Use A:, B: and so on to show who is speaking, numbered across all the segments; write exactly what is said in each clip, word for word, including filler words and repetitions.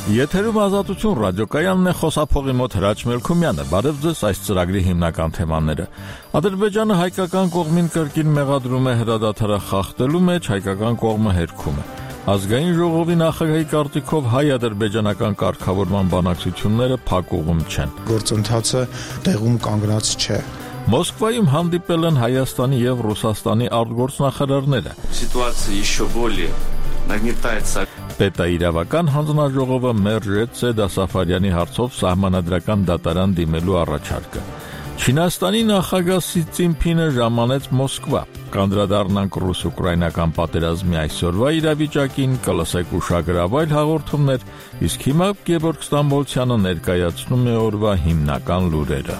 A: Եթերում Ազատություն ռադիոկայանն է, խոսափողի մոտ Հրաչ Մելքումյանը։ Բարև ձեզ, այս ծրագրի հիմնական թեմաները։ Ադրբեջանը հայկական կողմին կրկին մեղադրում է հրադադարը խախտելու մեջ, հայկական կողմը հերքում է։ Ազգային ժողովի նախագահի կարծիքով հայ-ադրբեջանական կարգավորման բանակցությունները փակ ուղում չեն։
B: Գործընթացը տեղում կանգնած չէ։
A: Մոսկվայում հանդիպել են Հայաստանի եւ Ռուսաստանի արտգործնախարարները։
C: Սիտուացիա еще более нагнетается.
A: Պետաիրավական հանձնաժողովը մերժեց Սեդա Սաֆարյանի հարցով սահմանադրական դատարան դիմելու առաջարկը։ Չինաստանի նախագահ Սի Ցզինփինը ժամանեց Մոսկվա։ Կանդրադառնանք ռուս-ուկրաինական պատերազմի այսօրվա իրավիճակին, կլսեք ուշագրավայր հաղորդումներ, իսկ հիմա Գևորգ Ստամբոլցյանը ներկայացնում է օրվա հիմնական լուրերը։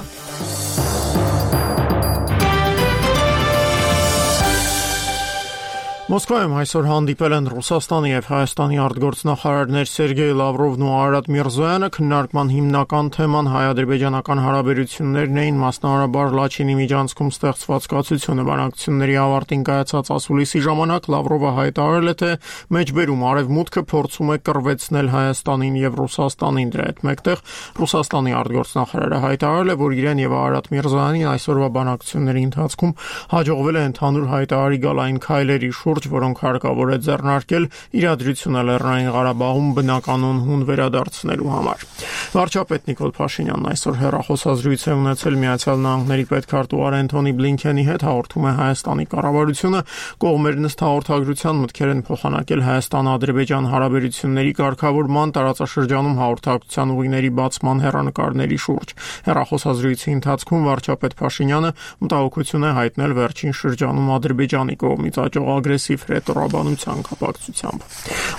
D: Մոսկվայում այսօր հանդիպել են Ռուսաստանի եւ Հայաստանի արտգործնախարարներ Սերգեյ Լավրովն ու Արարատ Միրզոյանը։ Քննարկման հիմնական թեման հայ-ադրբեջանական հարաբերություններն էին, մասնավորաբար Լաչինի միջանցքում ստեղծված կացությունը։ Բանակցությունների ավարտին կայացած ասուլիսի ժամանակ Լավրովը հայտարարել է, թե մեջբերում արևմուտքը փորձում է կռվեցնել Հայաստանին եւ Ռուսաստանին։ Դրա հետ մեկտեղ Ռուսաստանի արտգործնախարարը հայտարարել է, որ իրեն եւ Արարատ Միրզոյանին այսօրվա բանակցությունների ընթացքում հաջողվել է ընդհանուր հայտարարի գալ այն քայլերի շուրջ, որոնք հարկավոր է ձեռնարկել իրադրությունը Լեռնային Ղարաբաղում բնականon հուն վերադարձնելու համար։ Վարչապետ Նիկոլ Փաշինյանն այսօր հեռախոսազրույց է ունեցել Միացյալ Նահանգների պետքարտուղար Էնթոնի Բլինքենի հետ, հաղորդում է Հայաստանի կառավարությունը։ Կողմերն ըստ հաղորդագրության մտքեր են փոխանակել Հայաստան-Ադրբեջան հարաբերությունների կարգավորման, տարածաշրջանում հաղորդակցության ուղիների բացման հեռանկարների շուրջ։ Հեռախոսազրույցի ընթացքում վարչապետ Փաշինյանը մտահոգություն է հայտնել վերջին շրջանում Ադրբեջանի կողմից աճող ագրեսիվ ռետորաբանության կապակցությամբ։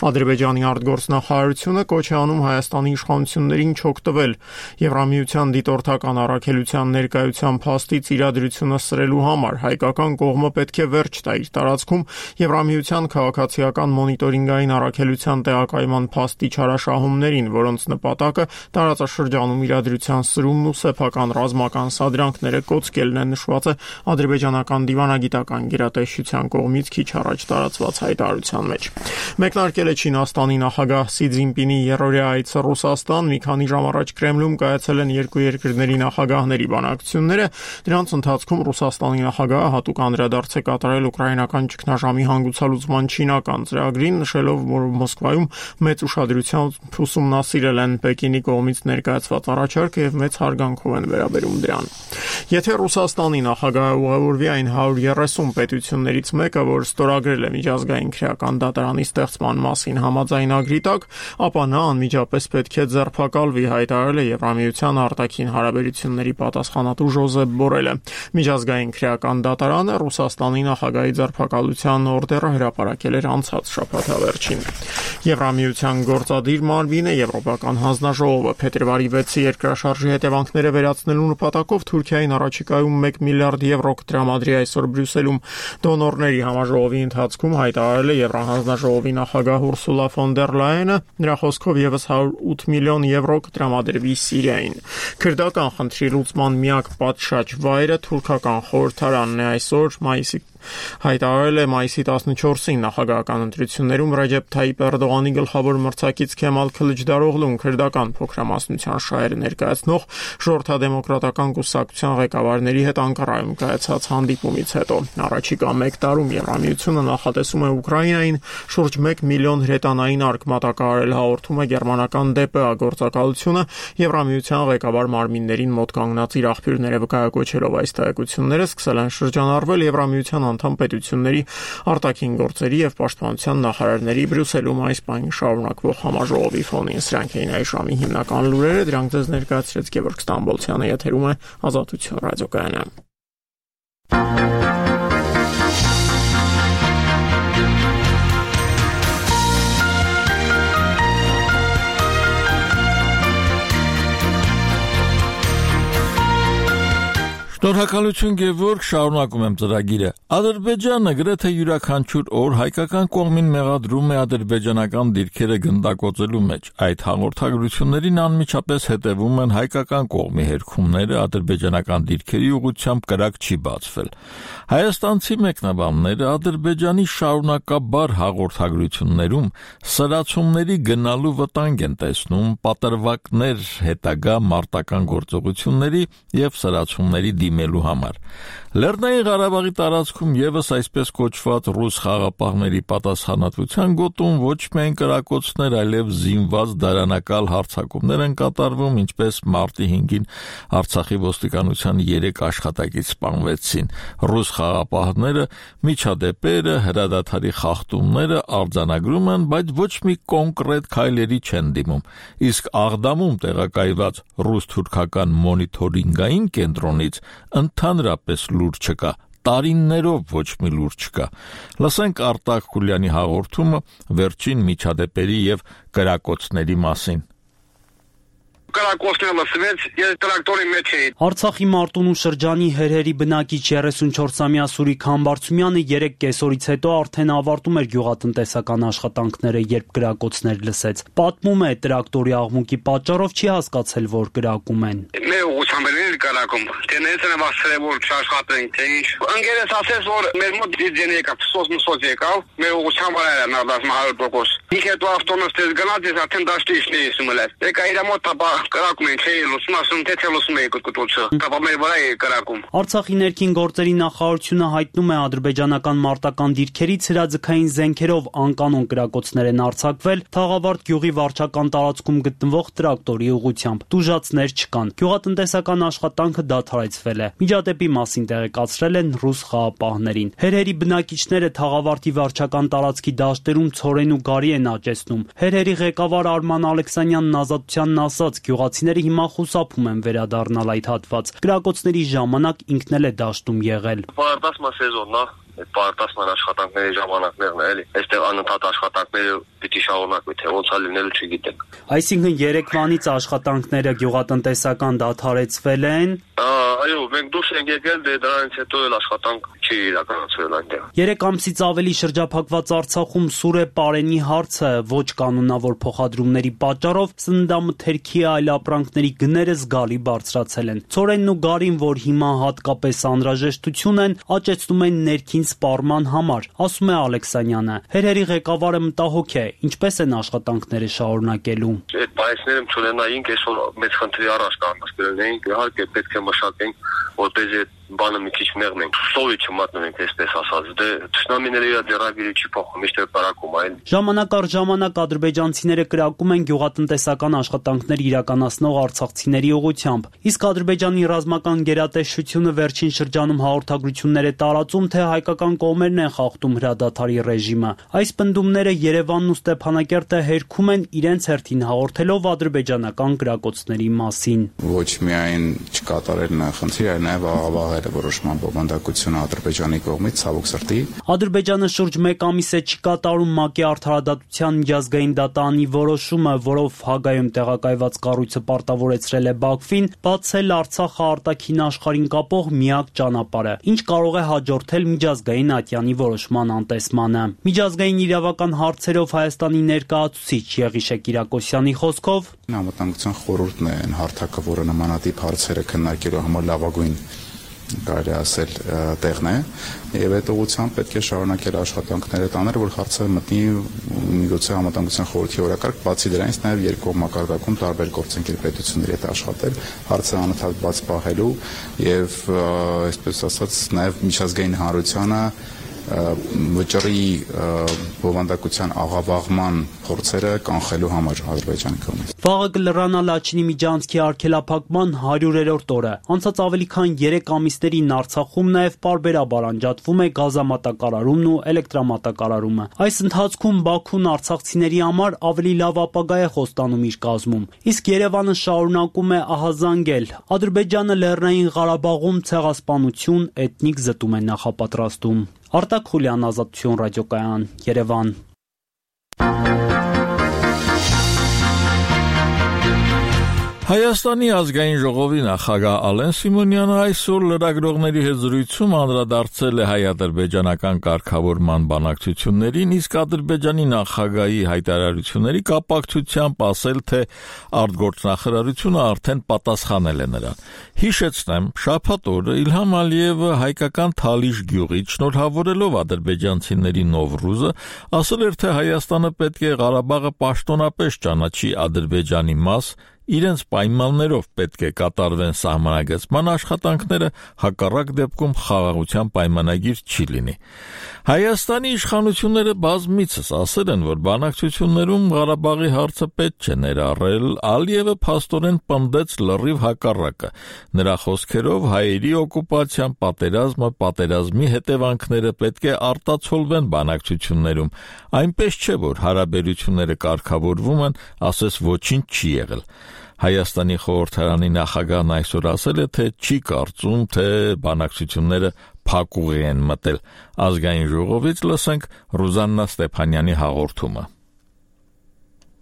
D: Ադրբեջանի արտգործնախարարությունը կոչ է անում Հայաստանի իշխանություններին չօգտվել Եվրամիության դիտորդական առաքելության ներկայության փաստից իրադրությունը սրելու համար։ Հայկական կողմը պետք է վերջ տա իր տարածքում Եվրամիության քաղաքացիական մոնիտորինգային առաքելության տեղակայման փաստի չարաշահումներին, որոնց նպատակը տարածաշրջանում իրադրության սրումն ու սեփական ռազմական սադրանքները կոծկելն է, նշված է ադրբեջանական դիվանագիտական գերատեսչության կողմից քիչ առաջ տարածված հայտարարության մեջ։ Մեկնարկել է Չինաստանի նախագահ Սի Ցզինփինի երրորդյա այցը Ռուսաստան։ Մի քանի ժամ առաջ Կրեմլում կայացել են երկու երկրների նախագահների բանակցությունները։ Դրանց ընթացքում Ռուսաստանի նախագահը հատուկ անդրադարձ է կատարել ուկրաինական ճգնաժամի հանգուցալուծման չինական ծրագրին, նշելով, որ Մոսկվայում մեծ ուշադրությամբ ուսումնասիրել են Պեկինի կողմից ներկայացված առաջարկը եւ մեծ հարգանքով են վերաբերում դրան։ Եթե Ռուսաստանի նախագահը ուղևորվի այն հարյուր երեսուն պետություններից մեկը, որ ստորագրել է միջազգային քրեական դատարանի ստեղծման մասին համաձայնագրի տակ, ապա նա անմիջապես պետք է ձերբակալվի, հայտարարել է Եվրամիության արտաքին հարաբերությունների պատասխանատու Ժոզեփ Բորելը։ Միջազգային քրեական դատարանը Ռուսաստանի նախագահի ձերբակալության օրդերը հրապարակել էր անցած շաբաթավերջին։ Եվրամիության գործադիր մարմինը Եվրոպական հանձնաժողովը փետրվարի վեցի երկրաշարժի հետևանքները վերացնելու նպատակով Թուրքիային առաջիկայում մեկ միլիարդ եվրո կտրամադրի այսօր Բրյուսելում։ Դոնորների համաժողովի ընթացքում հայտարարել է Եվրահանձնաժողովի նախագահ Ուրսուլա ֆոն դեր Լայենը, նրա խոսքով եւս հարյուր ութ միլիոն եվրո կտրամադրվի Սիրիային։ Քրդական խնդրի լուծման միակ պատշաճ վայրը թուրքական խորհրդարանն է այսօր մայիսի հայտարարել է մայիսի տասնչորսին նախագահական ընտրություններում Ռեջեփ Թայիպ Էրդողանի գլխավոր մրցակից Քեմալ Քլիչդարօղլուն քրդական փոքրամասնության շահերը ներկայացնող ժողովրդադեմոկրատական կուսակցության ղեկավարների հետ Անկարայում կայացած հանդիպումից հետո։ Առաջիկա մեկ տարում Եվրամիությունը նախատեսում է Ուկրաինային շուրջ մեկ միլիոն հրետանային արկ մատակարարել, հաղորդում է գերմանական դե պե ա գործակալությունը, Եվրամիության ղեկավար մարմիններին մոտ կանգնած իր աղբյուրները վկայակոչելով այս տեղեկությունները սկսել են շրջանառվել Եվրամիության անդամ պետությունների արտաքին գործերի եւ պաշտպանության նախարարների Բրյուսելում այս պահին շարունակվող համաժողովի ֆոնին։ Սրանք էին այս ժամի հիմնական լուրերը, դրանք ձեզ ներկայացրեց Գևորգ Ստամբոլցյանը, եթերում է Ազատություն ռադիոկայանը։
A: Շնորհակալություն Գևորգ, շարունակում եմ ծրագիրը։ Ադրբեջանը գրեթե յուրաքանչյուր օր հայկական կողմին մեղադրում է ադրբեջանական դիրքերը գնդակոծելու մեջ։ Այդ հաղորդագրություններին անմիջապես հետևում են հայկական կողմի հերքումները, ադրբեջանական դիրքերի ուղղությամբ կրակ չի բացվել։ Հայաստանցի մեկնաբանները Ադրբեջանի շարունակաբար հաղորդագրություններում սրացումների գնալու վտանգ են տեսնում պատրվակներ հետագա մարտական գործողությունների եւ սրացումների դիմելու համար։ Լեռնային Ղարաբաղի տարածքում եւս այսպես կոչված ռուս խաղապահների պատասխանատվության գոտում ոչ միայն կրակոցներ, այլև զինված դարանակալ հարձակումներ են կատարվում, ինչպես մարտի հինգին Արցախի ոստիկանության երեք աշխատակից սպանվեցին։ Ռուս խաղապահները միջադեպերը, հրադադարի խախտումները արձանագրում են, բայց ոչ մի կոնկրետ քայլերի չեն դիմում։ Իսկ Աղդամում տեղակայված ռուս-թուրքական մոնիթորինգային կենտրոնից ընդհանրապես լուր չկա, տարիներով ոչ մի լուր չկա։ Լսենք Արտակ Խուլյանի հաղորդումը վերջին միջադեպերի եւ կրակոցների մասին։
E: Կրակոցները լսվեց, ես տրակտորի մեջ էի։
F: Արցախի Մարտունու շրջանի Հերհերի բնակիչ երեսունչորսամյա Սուրիկ Համբարձումյանը երեք կեսօրից հետո արդեն ավարտում էր գյուղատնտեսական աշխատանքները, երբ կրակոցներ լսեց։ Պատմում է, տրակտորի աղմուկի պատճառով չի հասկացել, որ կրակում են։
E: Մեր ուղղությամբ էր կրակում, թե ներս են վասրել, որ չաշխատենք, թե ինչ։ Ընկերս ասեց, որ մեր մոտ դիզեն եկավ, սոս մսոց եկավ, մեր ուղղությամբ էր նարդաս հարյուր տոկոս։ Ինչ հետո ավտոնոստես գնաց, ես արդեն դաշտի իշնի եսում էլ էր։ Եկա իր մոտ տապա կրակում են, չէի լուսում, ասում, թե թե լուսում էի կտկտոցը, տապա մեր վրա էի կրակում։
F: Արցախի ներքին գործերի նախարարությունը հայտնում է ադրբեջանական մարտական դիրքերից հրաձգային զենքերով անկանոն կրակոցներ են արձակվել Թաղավարտ գյուղի վարչական տարածքում գտնվող տրակտորի ուղղությամբ։ Տուժածներ չկան։ Գյուղատնտեսական աշխատանքը դադարեցվել է։ Միջադեպի մասին տեղեկացրել են ռուս խաղապահներին։ Հերհերի բնակիչները Թաղավարտի վարչական տարածքի դաշտերում ցորեն ու գարի են աճեցնում։ Հերհերի ղեկավար Արման Ալեքսանյանն ազատությանն ասաց, գյուղացիները հիմա խուսափում են վերադառնալ այդ հատված։ Կրակոցների ժամանակ ինքն էլ է դաշտում եղել։
E: Պարտասման սեզոնն է, այդ պարտասման աշխատանքների ժամանակներն է, էլի։ Այստեղ անընդհատ աշխատանքները պիտի շարունակվի, թե ոնց է լինելու չգիտենք։
F: Այսինքն երեկվանից աշխատանքները գյուղատնտեսական դադարեցվել են։
E: Այո, մենք դուրս ենք եկել, դե դրանից հետո էլ աշխատանք չի իրականացվել այնտեղ։
F: Երեք ամսից ավելի շրջափակված Արցախում սուր է պարենի հարցը, ոչ կանոնավոր փոխադրումների պատճառով սննդամթերքի այլ ապրանքների գները զգալի բարձրացել են։ Ցորենն ու գարին, որ հիմա հատկապես անհրաժեշտություն են, աճեցնում են ներքին սպառման համար, ասում է Ալեքսանյանը։ Հերհերի ղեկավարը մտահոգ է, ինչպես են աշխատանքները շարունակելու։
E: Այդ բայսները չունենայինք, այսօր մեծ խնդրի առաջ կանգնեցնենք, իհարկե պետք է մշակենք, որպեսզի բանը մի քիչ մեղմենք, սովի չմատնենք, այսպես ասած, դե թշնամիները իր ձեռագիրը չի փոխում, միշտ է կրակում այն։
F: Ժամանակ առ ժամանակ ադրբեջանցիները կրակում են գյուղատնտեսական աշխատանքներ իրականացնող արցախցիների ուղղությամբ, իսկ Ադրբեջանի ռազմական գերատեսչությունը վերջին շրջանում հաղորդագրություններ է տարածում, թե հայկական կողմերն են խախտում հրադադարի ռեժիմը։ Այս պնդումները Երևանն ու Ստեփանակերտը հերքում են իրենց հերթին հաղորդելով ադրբեջանական կրակոցների մասին։
B: Ոչ միայն չկատարել նախընթրի, այլ նաև աղավաղել որոշման բովանդակությունը Ադրբեջանի կողմից, ցավոք սրտի։
F: Ադրբեջանը շուրջ մեկ ամիս է չի կատարում ՄԱԿ-ի արդարադատության միջազգային դատարանի որոշումը, որով Հագայում տեղակայված կառույցը պարտավորեցրել է Բաքվին բացել Արցախը արտաքին աշխարհին կապող միակ ճանապարհը, ինչ կարող է հաջորդել միջազգային ատյանի որոշման անտեսմանը։ Միջազգային իրավական հարցերով Հայաստանի ներկայացուցիչ Եղիշե Կիրակոսյանի խոսքով
B: Անվտանգության խորհուրդն է այն հարթակը, որը նմանատիպ հարցերը քննարկելու համար լավագույն կարելի ասել տեղն է, եւ այդ ուղղությամբ պետք է շարունակել աշխատանքները տանել, որ հարցը մտնի միգուցե Անվտանգության խորհրդի օրակարգ, բացի դրանից նաեւ երկկողմ մակարդակում տարբեր գործընկեր պետությունների հետ աշխատել, հարցը անընդհատ բաց պահելու եւ այսպես ասած նաեւ միջազգային հանրությանը վճռի բովանդակության աղավաղման փորձերը կանխելու համար Ադրբեջանի կողմից։
F: Վաղը կլրանա Լաչինի միջանցքի արգելափակման հարյուրերորդ օրը։ Անցած ավելի քան երեք ամիսներին Արցախում նաև պարբերաբար անջատվում է գազամատակարարումն ու էլեկտրամատակարարումը։ Այս ընթացքում Բաքուն արցախցիների համար ավելի լավ ապագա է խոստանում իր կազմում։ Իսկ Երևանը շարունակում է ահազանգել։ Ադրբեջանը Լեռնային Ղարաբաղում ցեղասպանություն, էթնիկ զտում է նախապատրաստում։ Արտակ Խուլյան, Ազատություն ռադիոկայան, Երևան։
A: Հայաստանի ազգային ժողովի նախագահ Ալեն Սիմոնյանը այսօր լրագրողների հետ զրույցում անդրադարձել է հայ-ադրբեջանական կարգավորման բանակցություններին, իսկ Ադրբեջանի նախագահի հայտարարությունների կապակցությամբ ասել, թե արտգործնախարարությունը արդեն պատասխանել է նրան։ Հիշեցնեմ, շաբաթ օրը Իլհամ Ալիևը հայկական Թալիշ գյուղից շնորհավորելով ադրբեջանցիների Նովրուզը ասել էր, թե Հայաստանը պետք է Ղարաբաղը պաշտոնապես ճանաչի Ադրբեջանի մաս, իրենց պայմաններով պետք է կատարվեն սահմանագծման աշխատանքները, հակառակ դեպքում խաղաղության պայմանագիր չի լինի։ Հայաստանի իշխանությունները բազմիցս ասել են, որ բանակցություններում Ղարաբաղի հարցը պետք չէ ներառել, Ալիևը փաստորեն պնդեց լրիվ հակառակը։ Նրա խոսքերով հայերի օկուպացիան, պատերազմը, պատերազմի հետևանքները պետք է արտացոլվեն բանակցություններում, այնպես չէ, որ հարաբերությունները կարգավորվում են, ասես ոչինչ չի եղել։ Հայաստանի խորհրդարանի նախագահն այսօր ասել է, թե չի կարծում, թե բանակցությունները փակուղի են մտել։ Ազգային ժողովից լսենք Ռուզաննա Ստեփանյանի հաղորդումը։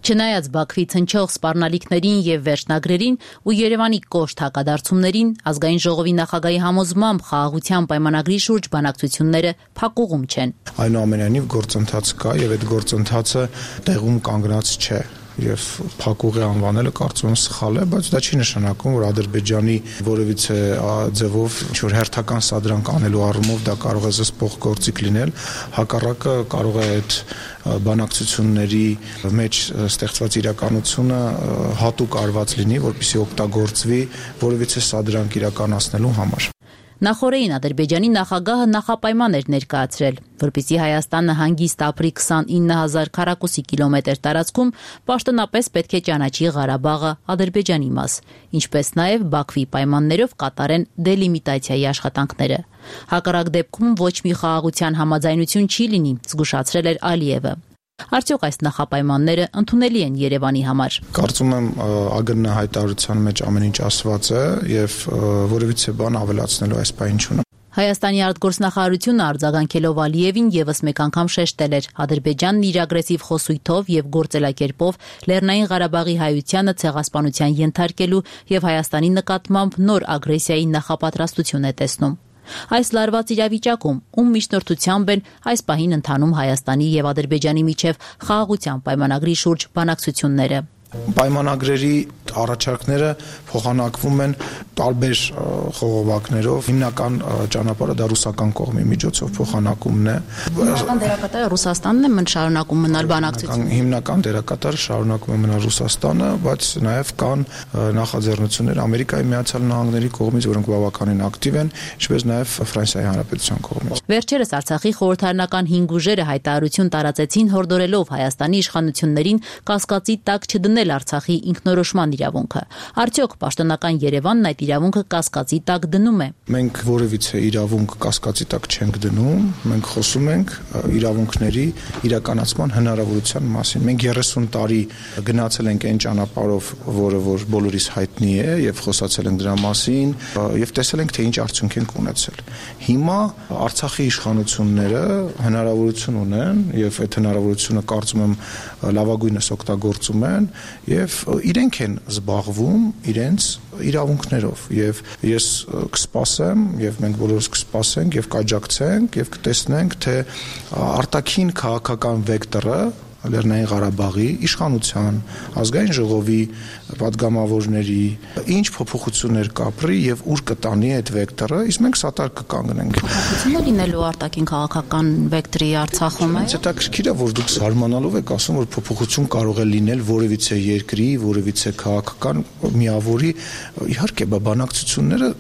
G: Չնայած Բաքվից հնչող սպառնալիքներին եւ վերջնագրերին ու Երևանի կոշտ հակադարձումներին, ազգային ժողովի նախագահի համոզմամբ խաղաղության պայմանագրի շուրջ բանակցությունները փակուղում չեն։
H: Այնուամենայնիվ գործընթաց կա եւ այդ գործընթացը տեղում կանգնած չէ։ Եվ փակուղի անվանելը կարծում եմ սխալ է, բայց դա չի նշանակում, որ Ադրբեջանի որևիցե ձևով ինչ-որ հերթական սադրանք անելու առումով դա կարող է զսպող գործիք լինել, հակառակը կարող է այդ բանակցությունների մեջ ստեղծված իրականությունը հատուկ արված լինի, որպեսզի օգտագործվի որևիցե սադրանք իրականացնելու համար։
G: Նախորդին Ադրբեջանի նախագահը նախապայման էր ներկայացրել, որպեսզի Հայաստանը հանգիստ ապրի քսանինը հազար քառակուսի կիլոմետր տարածքում պաշտոնապես պետք է ճանաչի Ղարաբաղը Ադրբեջանի մաս, ինչպես նաև Բաքվի պայմաններով կատարեն դելիմիտացիայի աշխատանքները։ Հակառակ դեպքում ոչ մի խաղաղության համաձայնություն չի լինի, զգուշացրել էր Ալիևը։ Արդյոք այս նախապայմանները ընդունելի են Երևանի համար։
H: Կարծում եմ ԱԳՆ հայտարարության մեջ ամեն ինչ ասված է եւ որևիցե բան ավելացնելու այս բանը չունեմ։
G: Հայաստանի արտգործնախարարությունը արձագանքելով Ալիևին եւս մեկ անգամ շեշտել էր Ադրբեջանն իր ագրեսիվ խոսույթով եւ գործելակերպով Լեռնային Ղարաբաղի հայությանը ցեղասպանության ենթարկելու եւ Հայաստանի նկատմամբ նոր ագրեսիայի նախապատրաստություն է տեսնում։ Այս լարված իրավիճակում, ում միջնորդությամբ են այս պահին ընթանում Հայաստանի եւ Ադրբեջանի միջև խաղաղության պայմանագրի շուրջ բանակցությունները։
H: Պայմանագրերի առաջարկները փոխանակվում են տարբեր խողովակներով, հիմնական ճանապարհը դա ռուսական կողմի միջոցով փոխանակումն է։
G: Հիմնական դերակատարը Ռուսաստանն է, մն շարունակում մնալ բանակցությունները։
H: Հիմնական դերակատարը շարունակում է մնալ Ռուսաստանը, բայց նաև կան նախաձեռնություններ Ամերիկայի Միացյալ Նահանգների կողմից, որոնք բավականին ակտիվ են, ինչպես նաև Ֆրանսիայի Հանրապետության կողմից։
G: Վերջերս Արցախի խորհրդարանական հինգ ուժերը հայտարարություն տարածեցին, հորդորելով Հայաստանի իշխանություններին կասկածի տակ չդնել Արցախի ինքնորոշման իրավունքը։ Արդյոք պաշտոնական Երևանն այդ իրավունքը կասկածի տակ դնում է։
H: Մենք որևիցե իրավունք կասկածի տակ չենք դնում, մենք խոսում ենք իրավունքների իրականացման հնարավորության մասին։ Մենք երեսուն տարի գնացել ենք այն ճանապարհով, որը որ բոլորիս հայտնի է, եւ խոսացել ենք դրա մասին, եւ տեսել ենք, թե ինչ արդյունք ենք ունեցել։ Հիմա Արցախի իշխանությունները հնարավորություն ունեն, եւ այդ հնարավորությունը կարծում եմ լավագույնս օգտագործում են, եւ իրենք են զբաղվում իրենց իրավունքներով եւ ես կսպասեմ եւ մենք բոլորս կսպասենք եւ կաջակցենք եւ կտեսնենք թե արտաքին քաղաքական վեկտորը Լեռնային Ղարաբաղի իշխանության, ազգային ժողովի պատգամավորների ինչ փոփոխություններ կապրի եւ ուր կտանի այդ վեկտորը, իսկ մենք սատար կկանգնենք։
G: Փոփոխություններ լինելու արտաքին քաղաքական վեկտորի Արցախում է։
H: Հետաքրքիր է, որ դուք զարմանալով եք ասում, որ փոփոխություն կարող է լինել որևիցե երկրի, որևիցե քաղաքական միավորի։ Իհարկե, բանակցությունները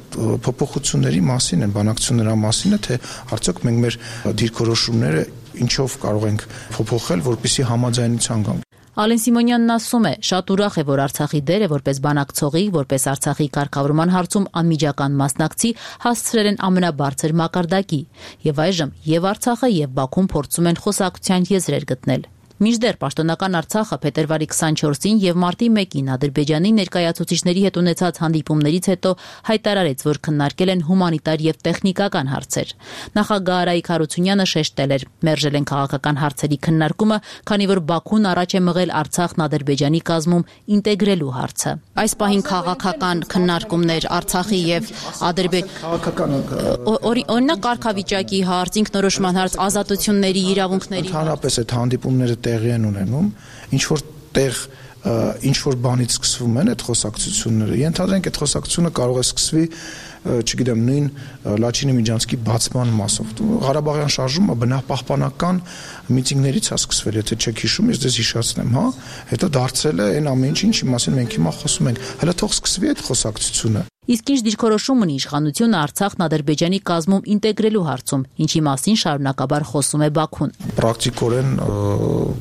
H: փոփոխությունների մասին են, բանակցությունների մասին է, թե արդյոք մենք մեր դիրքորոշումները ինչով կարող ենք փոփոխել, որպեսզի համաձայնության գանք։
G: Ալեն Սիմոնյանն ասում է, շատ ուրախ է, որ Արցախի դերը որպես բանակցողի, որպես Արցախի կարգավորման հարցում անմիջական մասնակցի հասցրել են ամենաբարձր մակարդակի, եւ այժմ եւ Արցախը եւ Բաքուն փորձում են խոսակցության եզրեր գտնել։ Մինչդեռ պաշտոնական Արցախը փետրվարի քսանչորսին եւ մարտի մեկին Ադրբեջանի ներկայացուցիչների հետ ունեցած հանդիպումներից հետո հայտարարեց, որ քննարկել են հումանիտար եւ տեխնիկական հարցեր։ Նախագահ Արայիկ Հարությունյանը շեշտել էր, մերժել են քաղաքական հարցերի քննարկումը, քանի որ Բաքուն առաջ է մղել Արցախն Ադրբեջանի կազմում ինտեգրելու հարցը։ Այս պահին քաղաքական քննարկումներ Արցախի եւ Ադրբեջանի
H: քաղաքական
G: օրինակ կարգավիճակի հարց, ինքնորոշման հարց, ազատությունների, իրավունքների
H: Ընդհանրապես այդ հանդիպումները տեղի են ունենում, ինչ որ տեղ ինչ որ բանից սկսվում են այդ խոսակցությունները։ Ենթադրենք այդ խոսակցությունը կարող է սկսվի, չգիտեմ, նույն Լաչինի Միջանցքի բացման մասով։ Ղարաբաղյան շարժումը բնապահպանական միտինգներից է սկսվել, եթե չեք հիշում, ես ձեզ հիշացնեմ, հա, հետո դարձել է այն ամեն ինչ, ինչի մասին մենք հիմա խոսում ենք։ Հələ թող սկսվի այդ խոսակցությունը։
G: Իսկ ինչ դիրքորոշում ունի իշխանությունը Արցախն Ադրբեջանի կազմում ինտեգրելու հարցում, ինչի մասին շարունակաբար խոսում է Բաքուն։
H: Պրակտիկորեն,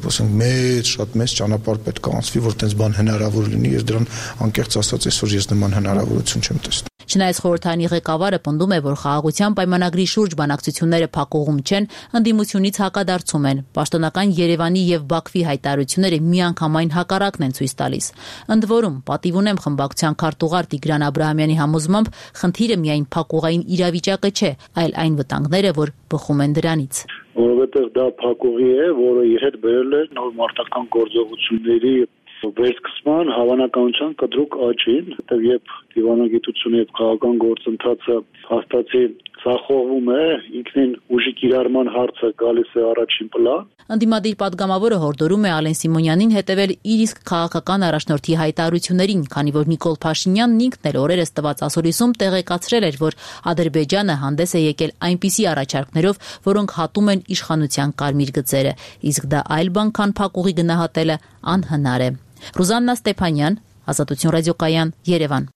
H: ասենք, մեծ, շատ մեծ ճանապարհ պետք է անցվի, որ այդպես բան հնարավոր լինի, ես դրան անկեղծ ասած այսօր ես նման հնարավորություն չեմ տեսնում։
G: Չնայած խորհրդարանի ղեկավարը պնդում է, որ խաղաղության պայմանագրի շուրջ բանակցությունները փակուղում չեն, ընդդիմությունից հակադարձում են։ Պաշտոնական Երևանի եւ Բաքվի հայտարարությունները միանգամայն հակառակն են ցույց տալիս։ Ընդ որում, պատիվ ունեմ խմբակցության քարտուղար Տիգրան Աբրահամյանի համոզմամբ, խնդիրը միայն փակուղային իրավիճակը չէ, այլ այն վտանգները, որ բխում են դրանից։
I: Որովհետեւ դա փակուղի է, որը իր հետ բերել է նոր մարտական գործողությունների վերսկսման հավանականության կտրուկ աճին, հետև երբ դիվանագիտությունը եւ քաղաքական գործընթացը հաստատի սախողվում է, ինքնին ուժի կիրառման հարցը գալիս է առաջին պլան։
G: Ընդդիմադիր падգամավորը հորդորում է Ալեն Սիմոնյանին հետևել իր իսկ քաղաքական առաջնորդի հայտարարություններին, քանի որ Նիկոլ Փաշինյանն ինքն էլ օրերս տված ասորիսում տեղեկացրել էր, որ Ադրբեջանը հանդես է եկել այնպիսի առաջարկներով, որոնք հատում են իշխանության կարմիր գծերը, իսկ դա այլ բան, քան փակուղի գնահատելը անհնար է։ Ռուզաննա Ստեփանյան, Ազատություն ռադիոկայան, Երևան։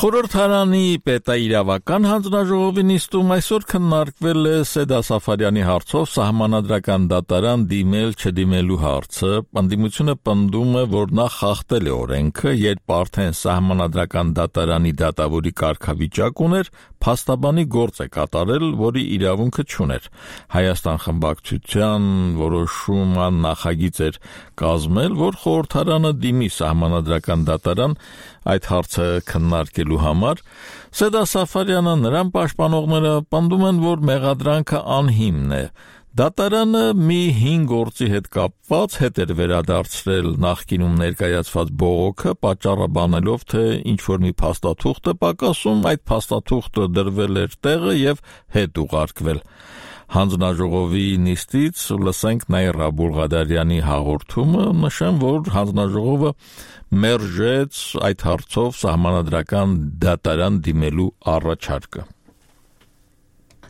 A: Խորհրդարանի պետաիրավական հանձնաժողովի նիստում այսօր քննարկվել է Սեդա Սաֆարյանի հարցով սահմանադրական դատարան դիմել չդիմելու հարցը։ Ընդդիմությունը պնդում է, որ նա խախտել է օրենքը, երբ արդեն սահմանադրական դատարանի դատավորի կարգավիճակ ուներ, փաստաբանի գործ է կատարել, որի իրավունքը չուներ։ Հայաստան խմբակցության որոշման նախագիծ էր կազմել, որ խորհրդարանը դիմի սահմանադրական դատարան այդ հարցը քննարկելու համար։ Սեդա Սաֆարյանը նրան պաշտպանողները պնդում են, որ մեղադրանքը անհիմն է։ Դատարանը մի հին գործի հետ կապված հետ էր վերադարձրել նախկինում ներկայացված բողոքը, պատճառը բանելով, թե ինչ-որ մի փաստաթուղթ է պակասում, այդ փաստաթուղթը դրվել էր տեղը եւ հետ ուղարկվել։ Հանձնաժողովի նիստից լսենք Նաիրա Բուլղադարյանի հաղորդումը, նշեմ, որ հանձնաժողովը մերժեց այդ հարցով սահմանադրական դատարան դիմելու առաջարկը։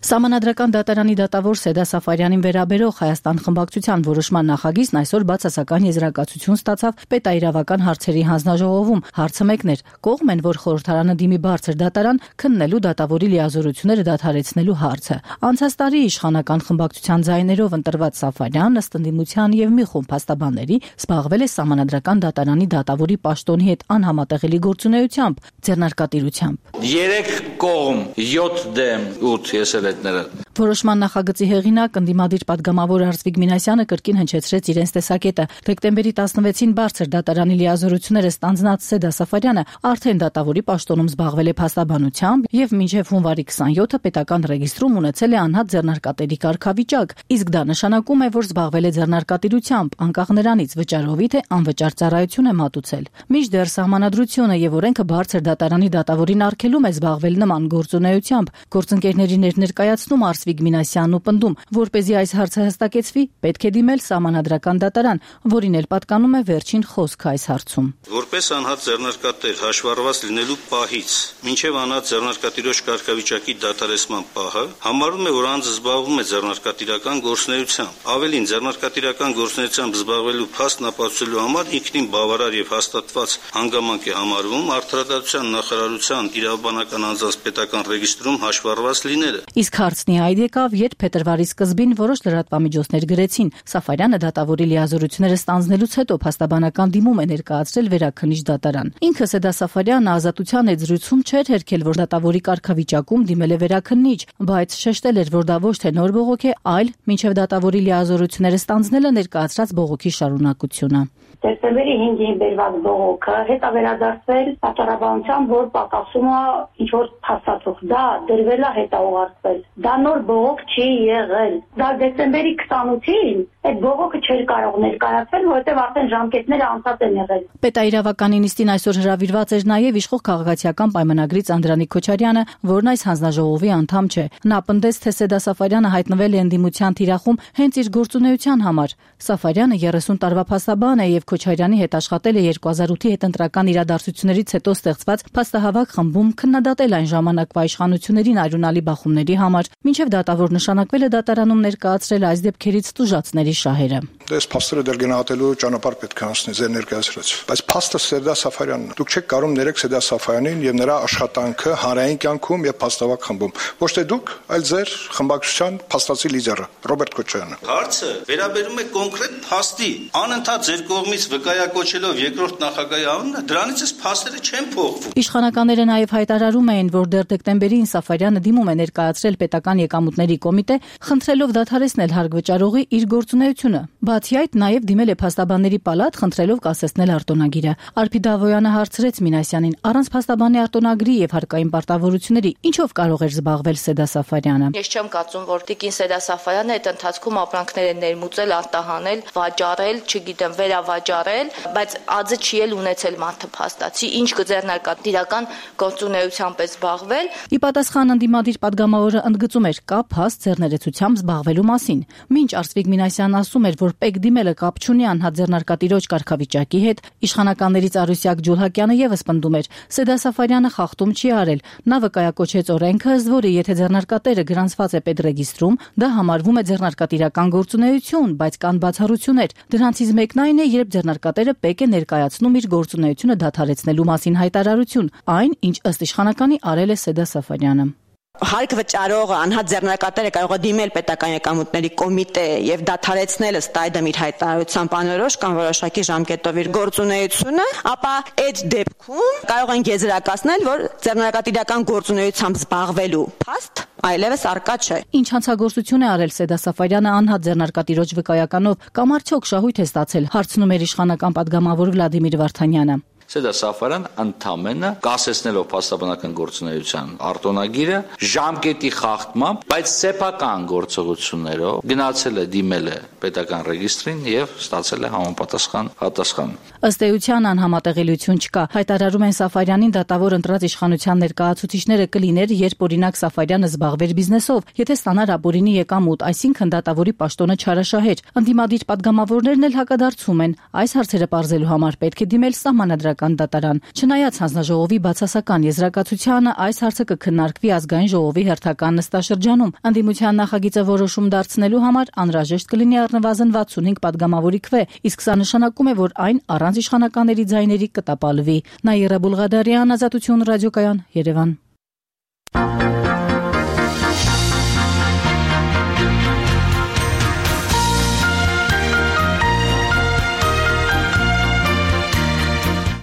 J: Սահմանադրական դատարանի դատավոր Սեդա Սաֆարյանին վերաբերող Հայաստան խմբակցության որոշման նախագիծն այսօր բացասական եզրակացություն ստացավ պետաիրավական հարցերի հանձնաժողովում։ Հարցը մեկն էր՝ կողմ են, որ խորհրդարանը դիմի բարձր դատարան քննելու դատավորի լիազորությունները դադարեցնելու հարցը։ Անցած տարի իշխանական խմբակցության ձայներով ընտրված Սաֆարյանն ըստ ընդդիմության եւ մի խումբ փաստաբանների զբաղվել է սահմանադրական դատարանի դատավորի պաշտոնի հետ անհամատեղելի գործունեությամբ, ձեռնարկատիրությամբ։
K: Երեք կողմ, յոթ դեմ ութ եսել
J: Որոշման նախագծի հեղինակ ընդդիմադիր падգամավոր Արծվիկ Մինասյանը կրկին հնչեցրեց իրենց տեսակետը։ Դեկտեմբերի տասնվեցին բարձր դատարանի լիազորությունները ստանձնած Սեդա Սաֆարյանը արդեն դատավորի պաշտոնում զբաղվել է փաստաբանությամբ եւ մինչեւ հունվարի քսանյոթը պետական ռեգիստրում ունեցել է անհատ ձեռնարկատերի կարգավիճակ, իսկ դա նշանակում է, որ զբաղվել է ձեռնարկատիրությամբ, անկախ նրանից վճարովի թե անվճար ծառայություն է մատուցել։ Մինչդեռ սահմանադրությունը եւ օրենքը բարձր դատարանի դատավորին արգելում է զբաղվել նման գործունեությամբ։ Գործընկերների ներկայացնում Արծվիկ Մինասյանն ու պնդում, որպեսզի այս հարցը հստակեցվի, պետք է դիմել սահմանադրական դատարան, որին էլ պատկանում է վերջին խոսքը այս հարցում։
L: Որպես անհատ ձեռնարկատեր հաշվառված լինելու պահից մինչև անհատ ձեռնարկատիրոջ կարգավիճակի դատարեցման պահը համարում է, որ անձը զբաղվում է ձեռնարկատիրական գործունեությամբ։ Ավելին, ձեռնարկատիրական գործունեությամբ զբաղվելու փաստն ապացուցելու համար ինքնին բավարար եւ հաստատված հանգամանք է համարվում արդարադատության նախարարության իրավաբանական անձանց պետական ռեգիստրում հաշվառված լինելը։
J: Իսկ հարցն է այդ եկավ, երբ փետրվարի սկզբին որոշ լրատվամիջոցներ գրեցին. Սաֆարյանը դատավորի լիազորությունները ստանձնելուց հետո փաստաբանական դիմում է ներկայացրել վերաքննիչ դատարան։ Ինքը Սեդա Սաֆարյանը ազատության այդ զրույցում չէր հերքել, որ դատավորի կարգավիճակում դիմել է վերաքննիչ, բայց շեշտել էր, որ դա ոչ թե նոր բողոք է, այլ մինչև դատավորի լիազորությունները ստանձնելը ներկայացրած բողոքի շարունակությունը։
M: Դեկտեմբերի հինգին բերված բողոքը հետ է վերադարձվել պատճառաբանությամբ, որ պակասում է ինչ-որ փաստաթուղթ, դա դրվել է հետ է ուղարկվել։ Դա նոր բողոք չի եղել։ Դա դեկտեմբերի քսանութին այդ բողոքը չէր կարող ներկայացվել, որովհետև արդեն ժամկետները անցած են եղել։
J: Պետաիրավական նիստին այսօր հրավիրված էր նաև իշխող քաղաքացիական պայմանագրից Անդրանիկ Քոչարյանը, որն այս հանձնաժողովի անդամ չէ։ Նա պնդեց, թե Սեդա Սաֆարյանը հայտնվել է ընդդիմության թիրախում հենց իր գործունեության համար։ Սաֆարյանը երեսուն տարվա փաստաբան է եւ Քոչարյանի հետ աշխատել է երկու հազար ութի հետընտրական իրադարձություններից հետո ստեղծված փաստահավաք խմբում քննադատել այն ժամանակվա իշխանություններին արյունալի բախումների համար, մինչև դատավոր նշանակվել է դատարանում ներկայացրել այս դեպքերից տուժածների շահերը։
H: Դες փաստերը դեռ գնահատելու ճանապարհ պետք է անցնի ձեր ներկայացրած։ Բայց փաստը Սեդա Սաֆարյանն է։ Դուք չեք կարող ներեք Սեդա Սաֆարյանին եւ նրա աշխատանքը հանրային կյանքում եւ փաստավակ խմբում։ Ոչ թե դուք, այլ ձեր խմբակցության փաստացի լիդերը Ռոբերտ Քոչարյանը։
L: Հարցը վերաբերում է կոնկրետ փաստի։ Անընդհատ ձեր կողմից վկայակոչելով երկրորդ նախագահի անունը, դրանից էս փաստերը չեն փոխվում։
J: Իշխանականները նաեւ հայտարարում էին, որ դեռ դեկտեմբերին Սաֆարյանը դիմում է ներկայացրել պետական եկամուտների կոմիտե, խնդրելով դադարեցնել հարկ վճարողի իր գործունեությունը։ Բացի այդ, նաև դիմել է փաստաբանների պալատ, խնդրելով կասեցնել արտոնագիրը։ Արփի Դավոյանը հարցրեց Մինասյանին, առանց փաստաբանի արտոնագրի եւ հարկային պարտավորությունների, ինչով կարող էր զբաղվել Սեդա Սաֆարյանը։
N: Ես չեմ կարծում, որ տիկին Սեդա Սաֆարյանը այդ ընթացքում ապրանքներ է ներմուծել, արտահանել, վաճառել, չգիտեմ, վերավաճառել, բայց ածը չի էլ ունեցել մարդը փաստացի, ինչ կձեռնարկատիրական գործունեությամբ է զբաղվել։
J: Ի պատասխան ընդդիմադիր падգամավորը ընդգծում էր կա փաստ ձեռներեցությամբ զբաղվելու մասին։ Մինչ Արսվիկ Մինասյանն ասում էր, որ պեկ դիմելը կապ չունի անհատ ձեռնարկատիրոջ կարգավիճակի հետ, իշխանականներից Արուսյակ Ջուլհակյանը եւս պնդում էր, Սեդա Սաֆարյանը խախտում չի արել։ Նա վկայակոչեց օրենքը, ըստ որի եթե ձեռնարկատերը գրանցված է պետրեգիստրում, դա համարվում է ձեռնարկատիրական գործունեություն, բայց կան բացառություններ։ Դրանցից մեկն այն է, երբ ձեռնարկատերը պեկ է ներկայացնում իր գործունեությունը դադարեցնելու մասին հայտարարություն, այն, ինչ ըստ իշխանականի արել է Սեդա Սաֆարյանը։
O: Հարկ վճարողը անհատ ձեռնարկատերը կարող է դիմել պետական եկամուտների կոմիտե եւ դադարեցնել ըստ այդմ իր հայտարարությամբ անորոշ կամ որոշակի ժամկետով իր գործունեությունը, ապա այդ դեպքում կարող են եզրակացնել, որ ձեռնարկատիրական գործունեությամբ զբաղվելու փաստ այլևս արկա չէ։
J: Ինչ հանցագործություն է արել Սեդա Սաֆարյանը անհատ ձեռնարկատիրոջ վկայականով կամ արդյոք շահույթ է ստացել, հարցնում էր իշխանական падգամավոր Վլադիմիր Վարդանյանը։
K: Սեդա Սաֆարյան ընդամենը կասեցնելով փաստաբանական գործունեության արտոնագիրը ժամկետի խախտմամբ, բայց սեփական գործողություններով գնացել է դիմել է պետական ռեգիստրին եւ ստացել է համապատասխան պատասխան։
J: Ըստ էության անհամատեղելիություն չկա։ Հայտարարում են Սաֆարյանին դատավոր ընտրած իշխանության ներկայացուցիչները կլիներ, երբ օրինակ Սաֆարյանը զբաղվեր բիզնեսով, եթե ստանար ապօրինի եկամուտ, այսինքն դատավորի պաշտոնը չարաշահեր։ Ընդդիմադիր падգամավորներն էլ հակադարձում են։ Այս հարցերը պարզելու համար պետք է դիմել սահմանադրական դատարան։ Չնայած հանձնաժողովի բացասական եզրակացությանը, այս հարցը կքննարկվի ազգային ժողովի հերթական նստաշրջանում։ Ընդդիմության նախագիծը որոշում դարձնելու համար անհրաժեշտ կլինի առնվազն վաթսունհինգ падգամավորի քվե, իսկ սա նշանակում է, որ այն առանց իշխանականների ձայների կտապալվի։ Նաիրա Բուլղադարյան, Ազատություն ռադիոկայան, Երևան։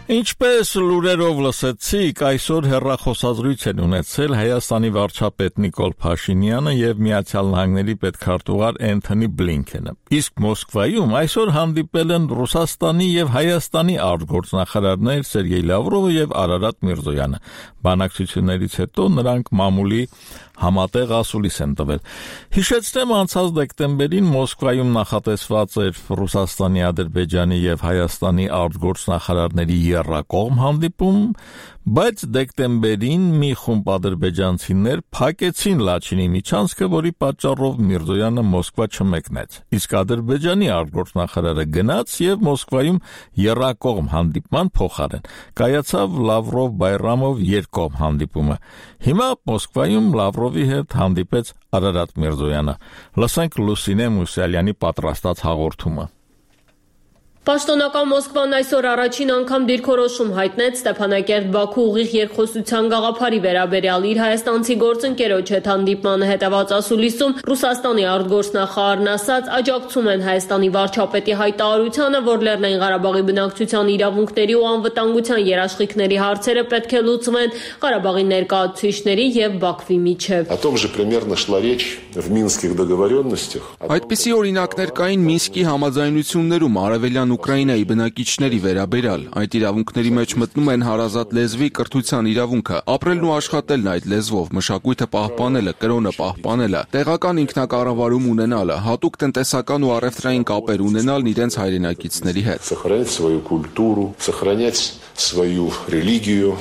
A: Ինչպես լուրերով լսեցիք, այսօր հեռախոսազրույց են ունեցել Հայաստանի վարչապետ Նիկոլ Փաշինյանը եւ Միացյալ Նահանգների պետքարտուղար Էնթոնի Բլինքենը։ Իսկ Մոսկվայում այսօր հանդիպել են Ռուսաստանի եւ Հայաստանի արտգործնախարարներ Սերգեյ Լավրովը եւ Արարատ Միրզոյանը։ Բանակցություններից հետո նրանք մամուլի համատեղ ասուլիս են տվել։ Հիշեցնեմ, անցած դեկտեմբերին Մոսկվայում նախատեսված էր Ռուսաստանի, Ադրբեջանի եւ Հայաստանի արտգործնախարարների եռակողմ հանդիպում, բայց դեկտեմբերին մի խումբ ադրբեջանցիներ փակեցին Լաչինի միջանցքը, որի պատճառով Միրզոյանը Մոսկվա չմեկնեց։ Իսկ Ադրբեջանի արտգործնախարարը գնաց եւ Մոսկվայում եռակողմ հանդիպման փոխարեն կայացավ Լավրով-Բայրամով երկկողմ հանդիպումը։ Հիմա Մոսկվայում Լավրովի հետ հանդիպեց Արարատ Միրզոյանը։ Լսենք Լուսինե Մուսալյանի պատրաստած հաղորդումը։
P: Պաշտոնական Մոսկվան այսօր առաջին անգամ դիրքորոշում հայտնեց Ստեփանակերտ-Բաքու ուղիղ երկխոսության գաղափարի վերաբերյալ իր հայաստանցի գործընկերոջ հետ հանդիպմանը հետևած ասուլիսում Ռուսաստանի արտգործնախարարն ասաց, աջակցում են Հայաստանի վարչապետի հայտարարությանը, որ Լեռնային Ղարաբաղի բնակչության իրավունքների ու անվտանգության երաշխիքների հարցերը պետք է լուծվեն Ղարաբաղի ներկայացուցիչների եւ Բաքվի միջև։
Q: Այդպիսի օրինակներ կային Մինսկի համաձայնություններում արևելյան Ուկրաինայի բնակիչների վերաբերյալ, այդ իրավունքների մեջ մտնում են հարազատ լեզվի, կրթության իրավունքը, ապրելն ու աշխատելն այդ լեզվով, մշակույթը պահպանելը, կրոնը պահպանելը, տեղական ինքնակառավարում ունենալը, հատուկ տնտեսական ու առևտրային կապեր ունենալն իրենց հայրենակիցների հետ։
R: Сохранять свою культуру, сохранять свою религию,